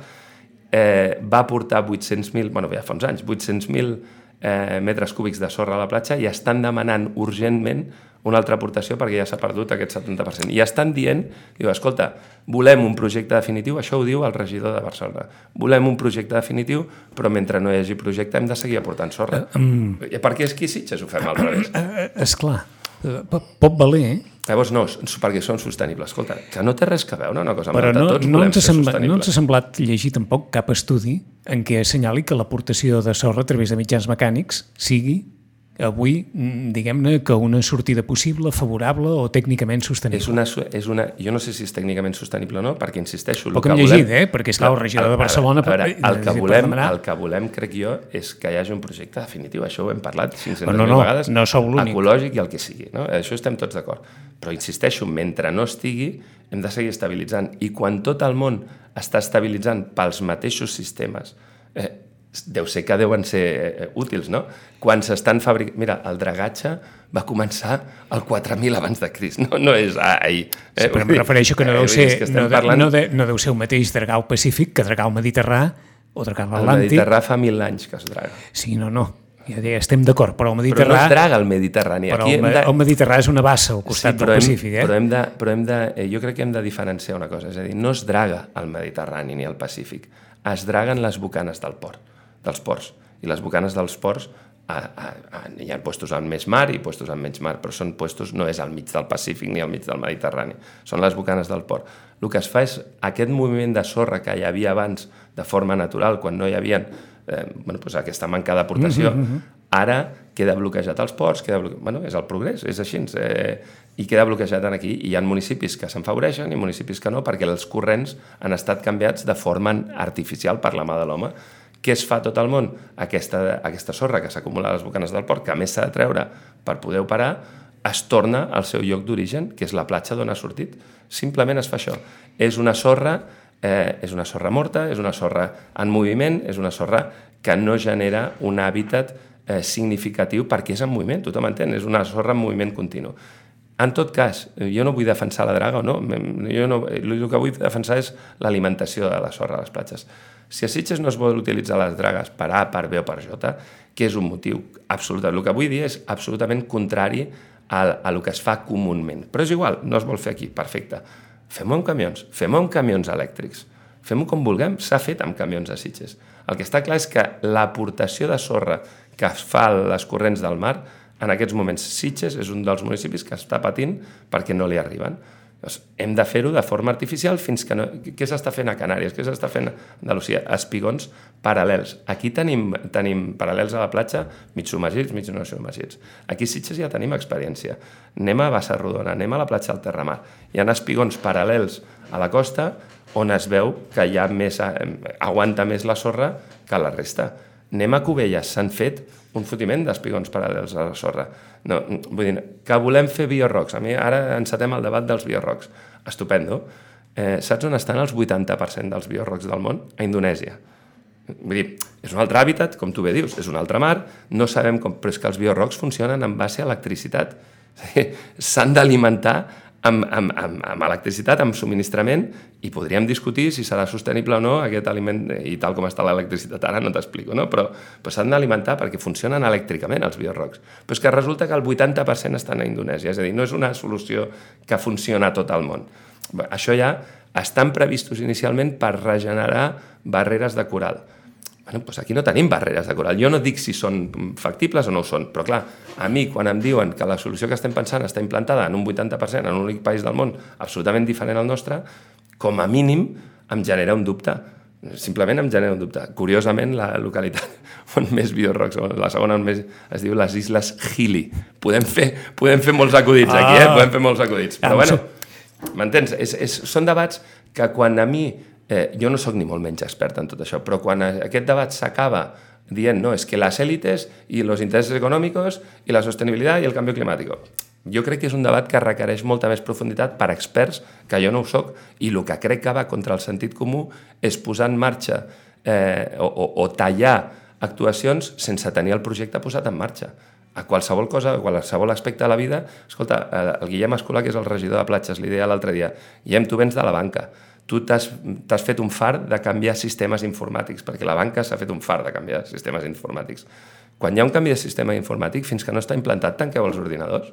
Va aportar 800.000, ja fa uns anys, 800.000 metres cúbics de sorra a la platja i estan demanant urgentment una altra aportació perquè ja s'ha perdut aquest 70%. I estan dient, escolta, volem un projecte definitiu, això ho diu el regidor de Barcelona, volem un projecte definitiu, però mentre no hi hagi projecte hem de seguir aportant sorra. Perquè és que Sitges ho fem al revés. Esclar, pot valer, Llavors no, perquè són sostenibles. Escolta, que no té res que veure una cosa amb però l'altra, tots volem ser sostenibles. No ens ha semblat llegir tampoc cap estudi en què assenyali que l'aportació de sorra a través de mitjans mecànics sigui avui, diguem-ne, que una sortida possible, favorable o tècnicament sostenible. Jo no sé si és tècnicament sostenible o no, perquè insisteixo... Poc hem llegit, perquè és clar, el regidor de Barcelona... El que volem, crec jo, és que hi hagi un projecte definitiu. Això ho hem parlat 500.000 vegades. No sou l'únic. Ecològic i el que sigui. Això estem tots d'acord. Però insisteixo, mentre no estigui, hem de seguir estabilitzant. I quan tot el món està estabilitzant pels mateixos sistemes, deu ser que deuen ser útils, no? Quan s'estan fabricant... Mira, el dragatge va començar el 4.000 abans de Crist, no és ahir. Sí, però em refereixo que no deu ser el mateix dragar al Pacífic que dragar al Mediterrà o dragar a l'Atlàntic. El Mediterrà fa 1.000 anys que es draga. Sí, no. Ja estem d'acord, però el Mediterrà... Però no es draga el Mediterrani. Però el Mediterrà és una bassa al costat del Pacífic, jo crec que hem de diferenciar una cosa, és a dir, no es draga el Mediterrani ni el Pacífic, es draguen les bocanes dels ports. I les bocanes dels ports hi ha puestos amb més mar i puestos amb menys mar, però són puestos, no és al mig del Pacífic ni al mig del Mediterrani, són les bocanes del port. El que es fa és aquest moviment de sorra que hi havia abans de forma natural, quan no hi havia aquesta manca d'aportació, ara queda bloquejat als ports, és el progrés, és així, i queda bloquejat aquí. I hi ha municipis que s'enfavoreixen i municipis que no, perquè els corrents han estat canviats de forma artificial per la mà de l'home. Què es fa a tot el món? Aquesta sorra que s'acumula a les bocanes del port, que a més s'ha de treure per poder operar, es torna al seu lloc d'origen, que és la platja d'on ha sortit. Simplement es fa això. És una sorra morta, és una sorra en moviment, és una sorra que no genera un hàbitat significatiu perquè és en moviment, tothom entén, és una sorra en moviment continu. En tot cas, jo no vull defensar la draga o no, el que vull defensar és l'alimentació de la sorra a les platges. Si a Sitges no es vol utilitzar les dragues per A, per B o per J, que és un motiu absolut. El que vull dir és absolutament contrari a el que es fa comúment. Però és igual, no es vol fer aquí, perfecte. Fem-ho amb camions, fem-ho amb camions elèctrics. Fem-ho com vulguem, s'ha fet amb camions a Sitges. El que està clar és que l'aportació de sorra que es fa a les corrents del mar, en aquests moments Sitges és un dels municipis que està patint perquè no li arriben. Doncs hem de fer-ho de forma artificial fins que no... Què s'està fent a Canàries? Què s'està fent a Andalusia? Espigons paral·lels. Aquí tenim paral·lels a la platja, mig submergits, mig no submergits. Aquí a Sitges ja tenim experiència. Anem a Bassarrodona, anem a la platja del Terramar. Hi ha espigons paral·lels a la costa on es veu que hi ha aguanta més la sorra que la resta. Anem a Cubelles, s'han fet un fotiment d'espigons paral·lels a la sorra. No, vull dir, que volem fer biorrocs. A mi ara encetem el debat dels biorrocs. Estupendo. Saps on estan els 80% dels biorrocs del món? A Indonèsia. Vull dir, és un altre hàbitat, com tu bé dius, és un altre mar, no sabem com, però és que els biorrocs funcionen en base a electricitat. S'han d'alimentar amb electricitat, amb subministrament, i podríem discutir si serà sostenible o no aquest aliment, i tal com està l'electricitat ara no t'explico, no? Però s'han d'alimentar perquè funcionen elèctricament els biorrocs. Però és que resulta que el 80% estan a Indonèsia, és a dir, no és una solució que funciona a tot el món. Això ja estan previstos inicialment per regenerar barreres de coral. Doncs aquí no tenim barreres de coral. Jo no dic si són factibles o no ho són, però clar, a mi quan em diuen que la solució que estem pensant està implantada en un 80% en un únic país del món absolutament diferent al nostre, com a mínim em genera un dubte. Simplement em genera un dubte. Curiosament, la localitat on més biorrocs, la segona on més, es diu les Isles Gili. Podem fer molts acudits aquí, podem fer molts acudits. Però bueno, m'entens? Són debats que quan a mi, jo no sóc ni molt menys expert en tot això, però quan aquest debat s'acaba dient, no, és que les èlites i els interessos econòmics i la sostenibilitat i el canvi climàtic. Jo crec que és un debat que requereix molta més profunditat per experts, que jo no ho soc, i el que crec que va contra el sentit comú és posar en marxa o tallar actuacions sense tenir el projecte posat en marxa. A qualsevol cosa, a qualsevol aspecte de la vida... Escolta, el Guillem Escolà, que és el regidor de platges, li deia l'altre dia, Guillem, tu vens de la banca, tu t'has fet un far de canviar sistemes informàtics, perquè la banca s'ha fet un far de canviar sistemes informàtics. Quan hi ha un canvi de sistema informàtic, fins que no està implantat, tanqueu els ordinadors.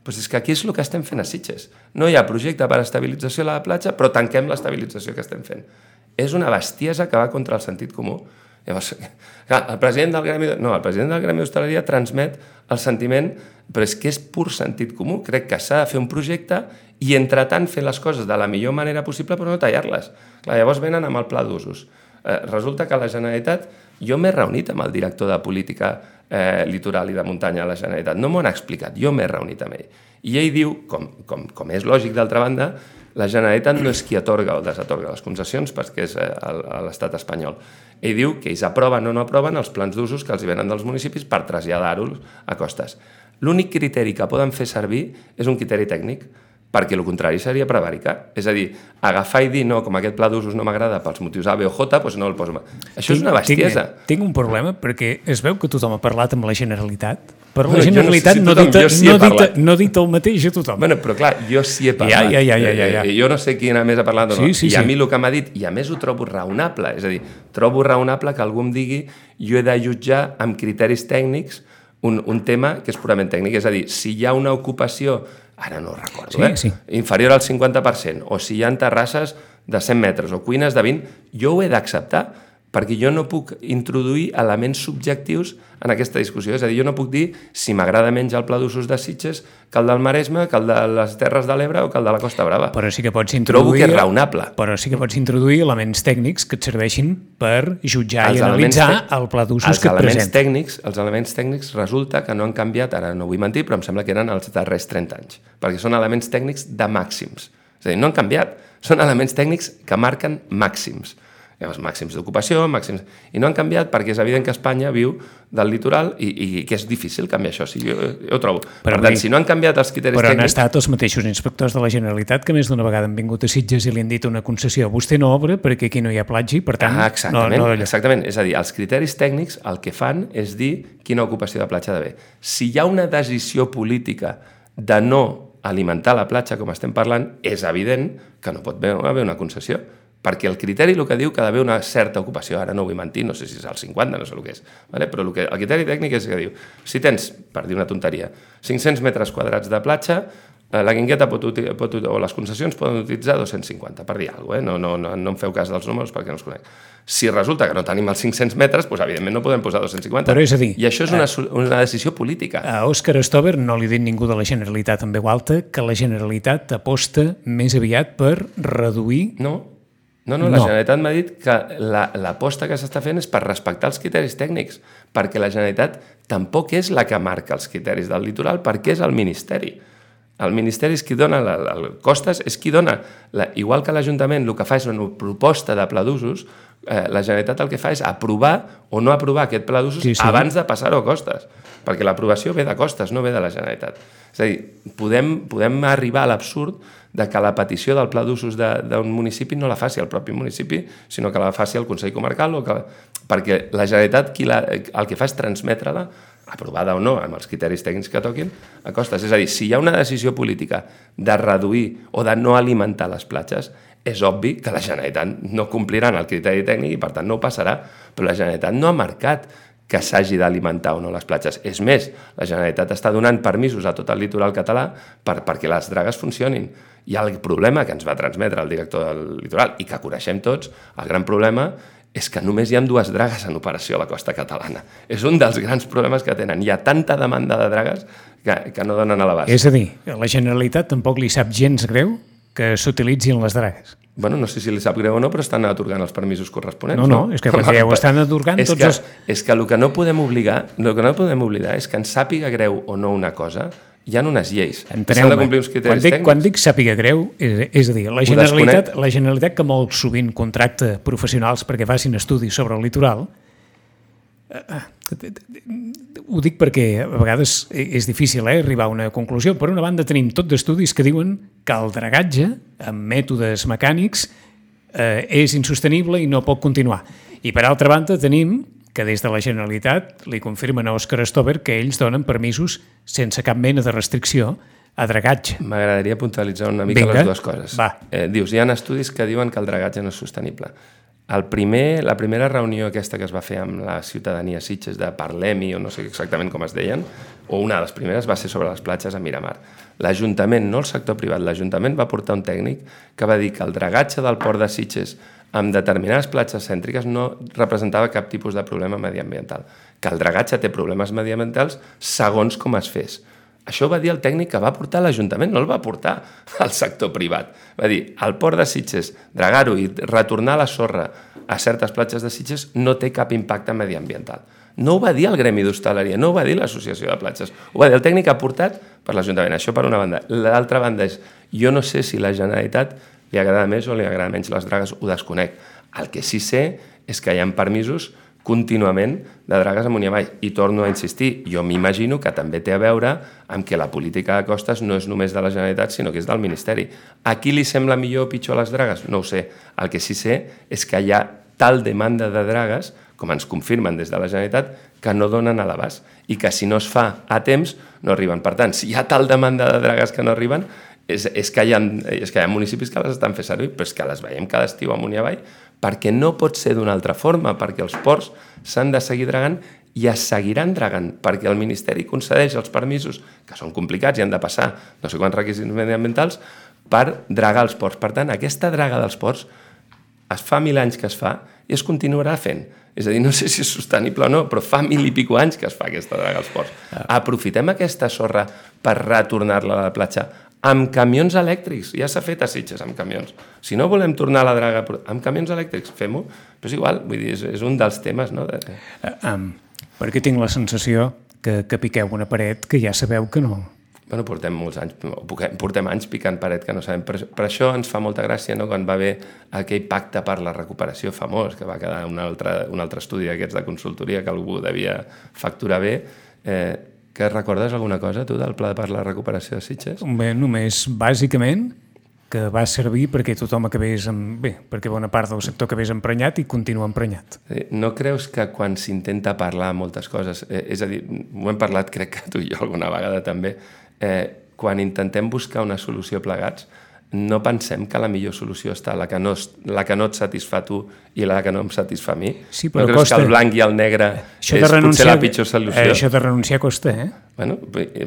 Doncs és que aquí és el que estem fent a Sitges. No hi ha projecte per a estabilització a la platja, però tanquem l'estabilització que estem fent. És una bestiesa que va contra el sentit comú. Llavors, clar, el president del Gremi d'Hostaleria transmet el sentiment, però és que és pur sentit comú. Crec que s'ha de fer un projecte i, entretant, fer les coses de la millor manera possible, però no tallar-les. Clar, llavors venen amb el pla d'usos. Resulta que la Generalitat... Jo m'he reunit amb el director de política litoral i de muntanya a la Generalitat. No m'ho han explicat, jo m'he reunit amb ell. I ell diu, com és lògic d'altra banda, la Generalitat no és qui atorga o desatorga les concessions perquè és l'estat espanyol. Ell diu que ells aproven o no aproven els plans d'usos que els venen dels municipis per traslladar-los a costes. L'únic criteri que poden fer servir és un criteri tècnic, perquè el contrari seria prevaricar. És a dir, agafar i dir, no, com aquest pla d'usos no m'agrada pels motius A, B o J, doncs no el poso. Això és una bestiesa. Tinc un problema, perquè es veu que tothom ha parlat amb la Generalitat, però la Generalitat no ha dit el mateix a tothom. Bueno, però clar, jo sí he parlat. Ja. Jo no sé qui més ha parlat o no. Sí. I a mi el que m'ha dit, i a més ho trobo raonable, és a dir, trobo raonable que algú em digui jo he de jutjar amb criteris tècnics un tema que és purament tècnic. És a dir, si hi ha una ocupació, ara no ho recordo, inferior al 50%, o si hi ha terrasses de 100 metres o cuines de 20, jo ho he d'acceptar, perquè jo no puc introduir elements subjectius en aquesta discussió. És a dir, jo no puc dir si m'agrada menys el pla d'usos de Sitges que el del Maresme, que el de les Terres de l'Ebre o que el de la Costa Brava. Però sí que pots introduir... Trobo que és raonable. Però sí que pots introduir elements tècnics que et serveixin per jutjar i analitzar el pla d'usos que et presenta. Els elements tècnics resulta que no han canviat, ara no vull mentir, però em sembla que eren els darrers 30 anys, perquè són elements tècnics de màxims. És a dir, no han canviat, són elements tècnics que marquen màxims. Els màxims d'ocupació, i no han canviat perquè és evident que Espanya viu del litoral i que és difícil canviar això, jo ho trobo. Per tant, si no han canviat els criteris tècnics... Però han estat els mateixos inspectors de la Generalitat que més d'una vegada han vingut a Sitges i li han dit una concessió. Vostè no obre perquè aquí no hi ha platja i, per tant... Exactament. És a dir, els criteris tècnics el que fan és dir quina ocupació de platja ha d'haver. Si hi ha una decisió política de no alimentar la platja, com estem parlant, és evident que no pot haver una concessió. Perquè el criteri el que diu que ha d'haver una certa ocupació, ara no vull mentir, no sé si és el 50, no sé el que és, però el criteri tècnic és que diu, si tens, per dir una tonteria, 500 metres quadrats de platja, la guingueta o les concessions poden utilitzar 250, per dir alguna cosa, no em feu cas dels números perquè no els conec. Si resulta que no tenim els 500 metres, doncs evidentment no podem posar 250. Però és a dir... I això és una decisió política. A Òscar Stover no li ha dit ningú de la Generalitat en veu alta que la Generalitat aposta més aviat per reduir... No, la Generalitat m'ha dit que l'aposta que s'està fent és per respectar els criteris tècnics, perquè la Generalitat tampoc és la que marca els criteris del litoral, perquè és el Ministeri. El Ministeri és qui dona el costes, és qui dona... Igual que l'Ajuntament el que fa és una proposta de pla d'usos, la Generalitat el que fa és aprovar o no aprovar aquest pla d'usos abans de passar-ho a costes, perquè l'aprovació ve de costes, no ve de la Generalitat. És a dir, podem arribar a l'absurd de que la petició del pla d'usos d'un municipi no la faci el propi municipi, sinó que la faci el Consell Comarcal, perquè la Generalitat el que fa és transmetre-la, aprovada o no, amb els criteris tècnics que toquin, a costes. És a dir, si hi ha una decisió política de reduir o de no alimentar les platges, és obvi que la Generalitat no complirà el criteri tècnic i, per tant, no ho passarà. Però la Generalitat no ha marcat que s'hagi d'alimentar o no les platges. És més, la Generalitat està donant permisos a tot el litoral català perquè les dragues funcionin. I el problema que ens va transmetre el director del litoral i que coneixem tots, el gran problema és que només hi ha 2 dragues en operació a la costa catalana. És un dels grans problemes que tenen. Hi ha tanta demanda de dragues que no donen a l'abast. És a dir, a la Generalitat tampoc li sap gens greu que s'utilitzin les dragues. Bueno, no sé si li sap greu o no, però estan atorgant els permisos corresponents. No, és que perquè ja ho estan atorgant tots els... És que el que no podem oblidar és que ens sàpiga greu o no una cosa, hi ha unes lleis. Enteneu-me, quan dic sàpiga greu, és a dir, la Generalitat que molt sovint contracta professionals perquè facin estudis sobre el litoral, ho dic perquè a vegades és difícil arribar a una conclusió. Per una banda tenim tot d'estudis que diuen que el dragatge amb mètodes mecànics és insostenible i no pot continuar. I per altra banda tenim que des de la Generalitat li confirmen a Òscar Stover que ells donen permisos sense cap mena de restricció a dragatge. M'agradaria puntualitzar una mica les dues coses. Dius, hi ha estudis que diuen que el dragatge no és sostenible. La primera reunió aquesta que es va fer amb la ciutadania Sitges de Parlem-hi, o no sé exactament com es deien, o una de les primeres va ser sobre les platges a Miramar. L'Ajuntament, no el sector privat, l'Ajuntament va portar un tècnic que va dir que el dragatge del port de Sitges amb determinades platges cèntriques no representava cap tipus de problema mediambiental, que el dragatge té problemes mediambientals segons com es fes. Això ho va dir el tècnic que va portar l'Ajuntament, no el va portar al sector privat. Va dir, el port de Sitges, dragar-ho i retornar la sorra a certes platges de Sitges no té cap impacte mediambiental. No ho va dir el Gremi d'Hostaleria, no ho va dir l'Associació de Platges, ho va dir el tècnic aportat per l'Ajuntament. Això per una banda. L'altra banda és, jo no sé si la Generalitat li agrada més o li agrada menys les dragues, ho desconec. El que sí sé és que hi ha permisos contínuament de dragues amunt i avall. I torno a insistir, jo m'imagino que també té a veure amb que la política de costes no és només de la Generalitat, sinó que és del Ministeri. A qui li sembla millor o pitjor les dragues? No ho sé. El que sí sé és que hi ha tal demanda de dragues, com ens confirmen des de la Generalitat, que no donen a l'abast i que si no es fa a temps no arriben. Per tant, si hi ha tal demanda de dragues que no arriben, és que hi ha municipis que les estan fent servir, però és que les veiem cada estiu amunt i avall, perquè no pot ser d'una altra forma, perquè els ports s'han de seguir dragant i es seguiran dragant, perquè el Ministeri concedeix els permisos, que són complicats i han de passar no sé quants requisits mediambientals, per dragar els ports. Per tant, aquesta draga dels ports es fa 1000 anys que es fa i es continuarà fent. És a dir, no sé si és sostenible o no, però fa 1000 i pico anys que es fa aquesta draga als ports. Aprofitem aquesta sorra per retornar-la a la platja amb camions elèctrics. Ja s'ha fet a Sitges amb camions. Si no volem tornar a la draga amb camions elèctrics, fem-ho. Però és igual, vull dir, és un dels temes, no? Perquè tinc la sensació que piqueu una paret que ja sabeu que no. Bueno, portem anys picant paret que no sabem. Per això ens fa molta gràcia, no?, quan va haver aquell pacte per la recuperació famós, que va quedar un altre estudi d'aquests de consultoria que algú devia facturar bé. Que recordes alguna cosa, tu, del Pla per la recuperació de Sitges? Bé, només, bàsicament, que va servir perquè tothom acabés perquè bona part del sector acabés emprenyat i continua emprenyat. No creus que quan s'intenta parlar moltes coses, és a dir, ho hem parlat crec que tu i jo alguna vegada també, quan intentem buscar una solució plegats, no pensem que la millor solució està la que no et satisfà tu i la que no em satisfà a mi? Sí, però no creus que el blanc i el negre és potser la pitjor solució? Això de renunciar costa, Bueno,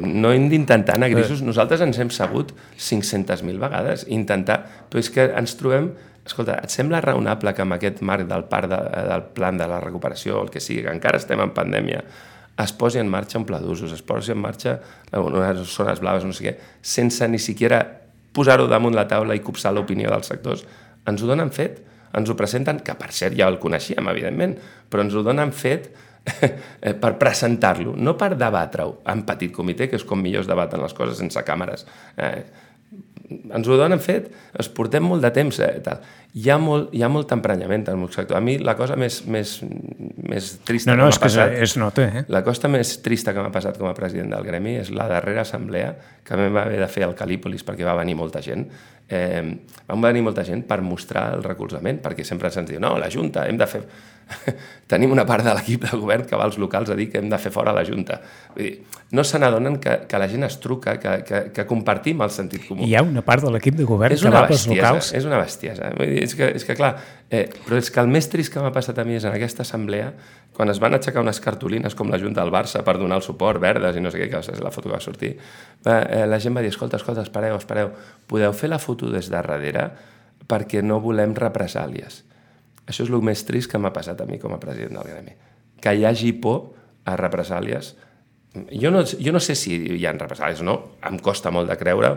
no hem d'intentar anar grisos. Nosaltres ens hem sabut 500.000 vegades intentar, però és que ens trobem... Escolta, et sembla raonable que amb aquest marc del plan de la recuperació, el que sigui, que encara estem en pandèmia, es posi en marxa un pla d'usos, es posi en marxa unes zones blaves, no sé què, sense ni siquiera posar-ho damunt la taula i copsar l'opinió dels sectors? Ens ho donen fet, ens ho presenten, que per cert ja el coneixíem, evidentment, però ens ho donen fet per presentar-lo, no per debatre-ho en petit comitè, que és com millor es debaten les coses sense càmeres. Ens ho donen fet, ens portem molt de temps. Hi ha molt emprenyament en el sector. A mi la cosa més trista que m'ha passat... es nota, La cosa més trista que m'ha passat com a president del gremi és la darrera assemblea que vam haver de fer al Calípolis perquè va venir molta gent. Vam venir molta gent per mostrar el recolzament, perquè sempre se'ns diu, no, la Junta, hem de fer... Tenim una part de l'equip de govern que va als locals a dir que hem de fer fora la Junta. Vull dir, no se n'adonen que la gent es truca, que compartim el sentit comú. Hi ha una part de l'equip de govern que va als locals. És una bestiesa. Vull dir, és que clar, però és que el més trist que m'ha passat a mi és en aquesta assemblea, quan es van aixecar unes cartolines com la Junta del Barça per donar el suport, verdes i no sé què, que és la foto que va sortir, la gent va dir, escolta, espereu, podeu fer la foto des de darrere perquè no volem represàlies. Això és el més trist que m'ha passat a mi com a president del gremi. Que hi hagi por a represàlies. Jo no sé si hi ha represàlies o no, em costa molt de creure,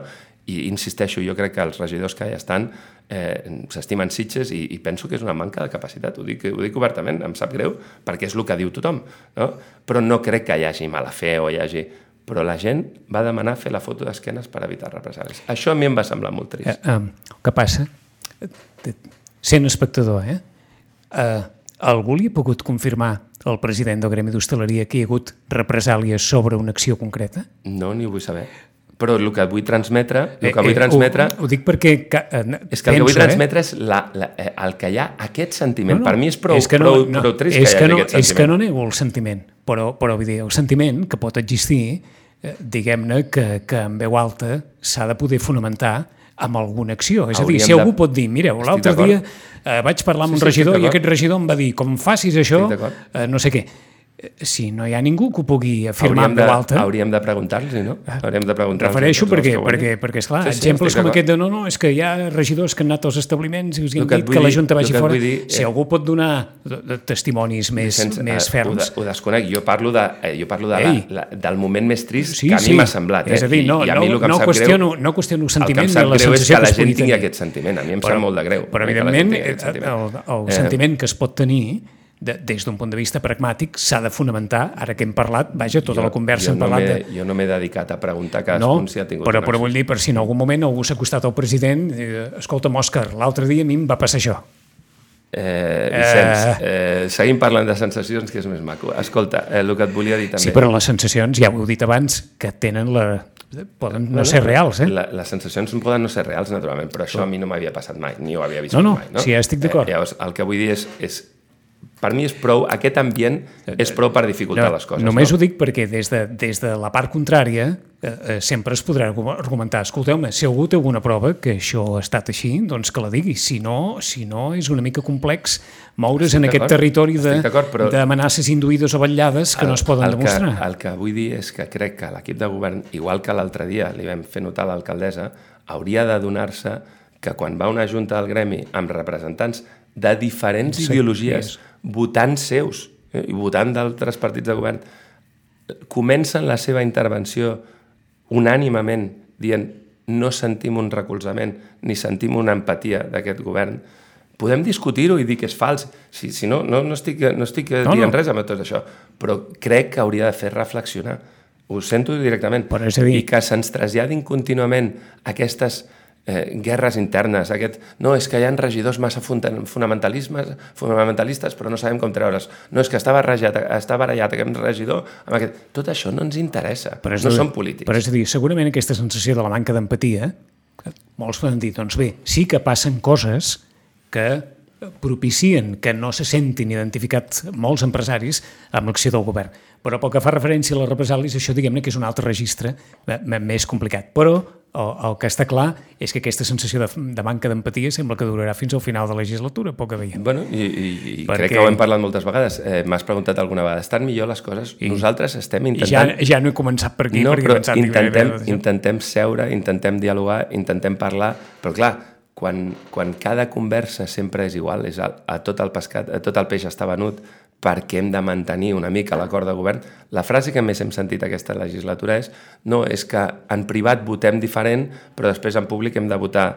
I insisteixo, jo crec que els regidors que ja estan s'estimen Sitges i penso que és una manca de capacitat, ho dic obertament, em sap greu, perquè és el que diu tothom, no? Però no crec que hi hagi mala fe o hi hagi... Però la gent va demanar fer la foto d'esquenes per evitar represàlies. Això a mi em va semblar molt trist. El que passa, sent espectador, algú li ha pogut confirmar al president del Gremi d'Hostaleria que hi ha hagut represàlies sobre una acció concreta? No, ni ho vull saber. Però el que vull transmetre... Ho dic perquè... És que el que vull transmetre és el que hi ha aquest sentiment. Per mi és prou trist que hi hagi aquest sentiment. És que no nego el sentiment, però vull dir, el sentiment que pot existir, diguem-ne que en veu alta s'ha de poder fonamentar amb alguna acció. És a dir, si algú pot dir, mireu, l'altre dia vaig parlar amb un regidor i aquest regidor em va dir, com facis això, no sé què. Si no hi ha ningú que ho pugui afirmar en veu alta... Hauríem de preguntar-los, no? Refereixo perquè esclar, exemples com aquest de no, és que hi ha regidors que han anat als establiments i us han dit que la Junta vagi fora. Si algú pot donar testimonis més ferms... Ho desconec. Jo parlo del moment més trist que a mi m'ha semblat. És a dir, no qüestiono el sentiment de la sensació que es pugui tenir. El que em sap greu és que la gent tingui aquest sentiment. A mi em sap molt de greu. Però, evidentment, el sentiment que es pot tenir des d'un punt de vista pragmàtic s'ha de fonamentar, ara que hem parlat, vaja, tota la conversa hem parlat de... Jo no m'he dedicat a preguntar cadascun si ha tingut una acció. Però vull dir, per si en algun moment algú s'ha acostat al president, escolta'm, Òscar, l'altre dia a mi em va passar això. Vicenç, seguim parlant de sensacions, que és més maco. Escolta, el que et volia dir també... Sí, però les sensacions, ja ho heu dit abans, que tenen poden no ser reals, Les sensacions poden no ser reals, naturalment, però això a mi no m'havia passat mai, ni ho havia viscut mai. No, sí, estic d'acord. Llavors, el que vull dir és per mi és prou, aquest ambient és prou per dificultar les coses. Només ho dic perquè des de la part contrària sempre es podrà argumentar, escolteu-me, si algú té alguna prova que això ha estat així, doncs que la digui. Si no és una mica complex moure's en aquest territori d'amenaces induïdes o vetllades que no es poden demostrar. El que vull dir és que crec que l'equip de govern, igual que l'altre dia li vam fer notar a l'alcaldessa, hauria d'adonar-se que quan va una junta del gremi amb representants de diferents ideologies, votants seus i votant d'altres partits de govern, comencen la seva intervenció unànimament dient no sentim un recolzament ni sentim una empatia d'aquest govern, podem discutir-ho i dir que és fals. Si no estic dient res amb tot això, però crec que hauria de fer reflexionar. Ho sento directament. I que se'ns traslladin contínuament aquestes guerres internes, no, és que hi ha regidors massa fonamentalistes, però no sabem com treure's. No, és que està barallat aquest regidor amb aquest... Tot això no ens interessa, no som polítics. Però és a dir, segurament aquesta sensació de la manca d'empatia, molts poden dir, doncs bé, sí que passen coses que propicien que no se sentin identificats molts empresaris amb l'acció del govern. Però pel que fa referència a les represàlies, això diguem-ne que és un altre registre més complicat. Però el que està clar és que aquesta sensació de manca d'empatia sembla que durarà fins al final de la legislatura, poc a veient. Bueno, i crec que ho hem parlat moltes vegades. M'has preguntat alguna vegada, estan millor les coses? Nosaltres estem intentant... Ja no he començat per aquí. No, però intentem seure, intentem dialogar, intentem parlar, però clar, quan cada conversa sempre és igual, és a tot el peix està venut, perquè hem de mantenir una mica l'acord de govern, la frase que més hem sentit aquesta legislatura és que en privat votem diferent, però després en públic hem de votar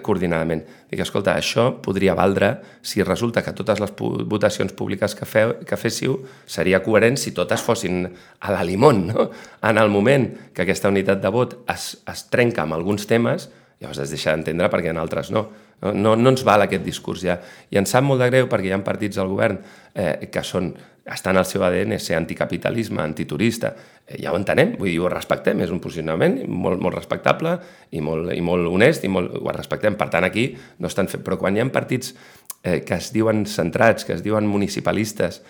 coordinadament. Dic, escolta, això podria valdre si resulta que totes les votacions públiques que féssiu seria coherent si totes fossin a la limón, no? En el moment que aquesta unitat de vot es trenca amb alguns temes, llavors es deixa d'entendre perquè en altres no. No ens val aquest discurs ja. I ens sap molt de greu perquè hi ha partits del govern que estan al seu ADN ser anticapitalisme, antiturista. Ja ho entenem, vull dir, ho respectem, és un posicionament molt respectable i molt honest, i ho respectem. Per tant, aquí no estan fent... Però quan hi ha partits que es diuen centrats, que es diuen municipalistes,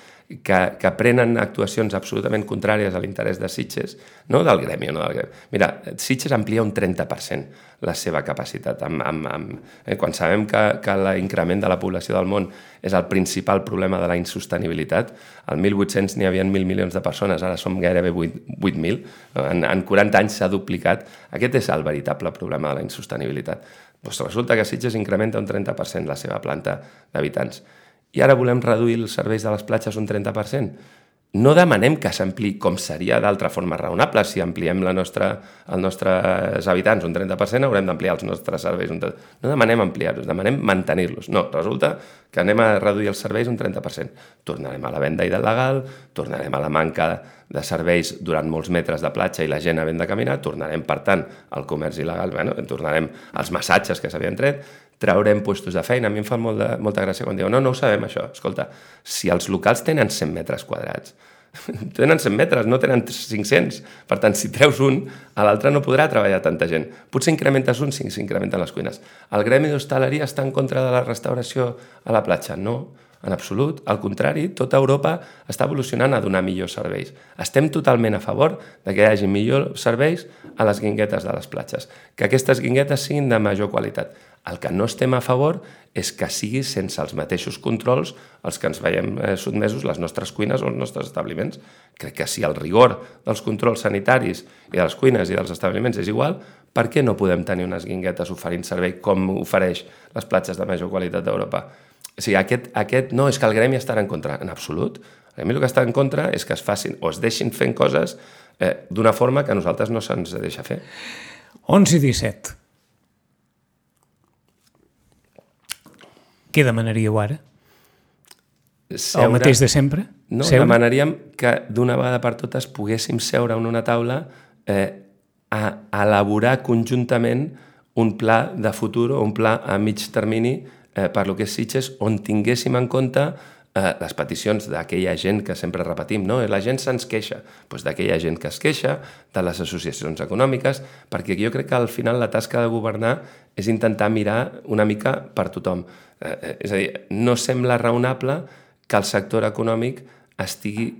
que prenen actuacions absolutament contràries a l'interès de Sitges, no del gremi, no del gremi. Mira, Sitges amplia un 30% la seva capacitat. Quan sabem que l'increment de la població del món és el principal problema de la insostenibilitat, al 1800 n'hi havia 1.000 milions de persones, ara som gairebé 8.000, en 40 anys s'ha duplicat. Aquest és el veritable problema de la insostenibilitat. Doncs resulta que Sitges incrementa un 30% la seva planta d'habitants. I ara volem reduir els serveis de les platges un 30%. no demanem que s'ampliï com seria d'altra forma raonable. Si ampliem els nostres habitants un 30%, haurem d'ampliar els nostres serveis un 30%. No demanem ampliar-los, demanem mantenir-los. No, resulta que anem a reduir els serveis un 30%. Tornarem a la venda il·legal, tornarem a la manca de serveis durant molts metres de platja i la gent havent de caminar, tornarem, per tant, al comerç il·legal, tornarem als massatges que s'havien tret, traurem puestos de feina. A mi em fa molta gràcia quan diuen no ho sabem això. Escolta, si els locals tenen 100 metres quadrats, tenen 100 metres, no tenen 500. Per tant, si treus un, a l'altre no podrà treballar tanta gent. Potser incrementes un si s'incrementen les cuines. El gremi d'hostaleria està en contra de la restauració a la platja? No, en absolut. Al contrari, tota Europa està evolucionant a donar millors serveis. Estem totalment a favor de que hi hagi millors serveis a les guinguetes de les platges, que aquestes guinguetes siguin de major qualitat. El que no estem a favor és que sigui sense els mateixos controls els que ens veiem sotmesos les nostres cuines o els nostres establiments. Crec que si el rigor dels controls sanitaris i de les cuines i dels establiments és igual, per què no podem tenir unes guinguetes oferint servei com ofereix les platges de major qualitat d'Europa? O sigui, aquest no, és que el gremi estarà en contra. En absolut. El gremi el que està en contra és que es facin o es deixin fent coses d'una forma que a nosaltres no se'ns deixa fer. 11:17. Què demanaríeu ara? El mateix de sempre? No, demanaríem que d'una vegada per totes poguéssim seure en una taula a elaborar conjuntament un pla de futur o un pla a mig termini per lo que és Sitges, on tinguéssim en compte les peticions d'aquella gent que sempre repetim, no? La gent se'ns queixa, doncs d'aquella gent que es queixa, de les associacions econòmiques, perquè jo crec que al final la tasca de governar és intentar mirar una mica per tothom. És a dir, no sembla raonable que el sector econòmic estigui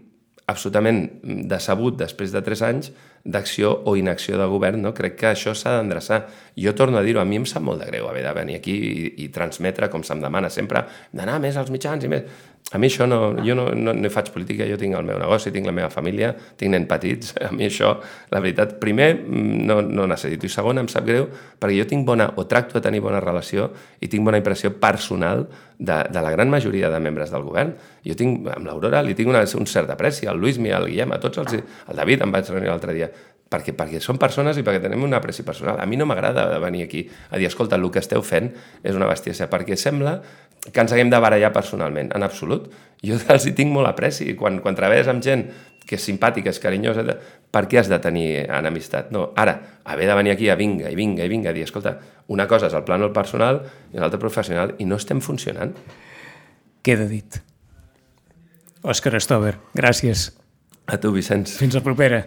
absolutament decebut després de 3 anys d'acció o inacció de govern, no? Crec que això s'ha d'endreçar. Jo torno a dir-ho, a mi em sap molt de greu haver de venir aquí i transmetre, com se'm demana sempre, d'anar més als mitjans i més. A mi això jo no faig política, jo tinc el meu negoci, tinc la meva família, tinc nens petits, a mi això, la veritat, primer, no necessito, i segon, em sap greu, perquè jo tinc tracto de tenir bona relació i tinc bona impressió personal de la gran majoria de membres del govern. Jo tinc, amb l'Aurora, li tinc un cert apreci, al Luismi, al Guillem, a tots el David em vaig reunir l'altre dia, perquè són persones i perquè tenim un apreci personal. A mi no m'agrada venir aquí a dir, escolta, el que esteu fent és una bestiesa, perquè sembla que ens haguem de barallar personalment. En absolut. Jo els hi tinc molt apreci. Quan treballes amb gent que és simpàtica, és carinyosa, per què has de tenir enemistat? No, ara, haver de venir aquí a vinga, a dir, escolta, una cosa és el plànol personal i l'altra professional, i no estem funcionant. Queda dit. Òscar Stover, gràcies. A tu, Vicenç. Fins la propera.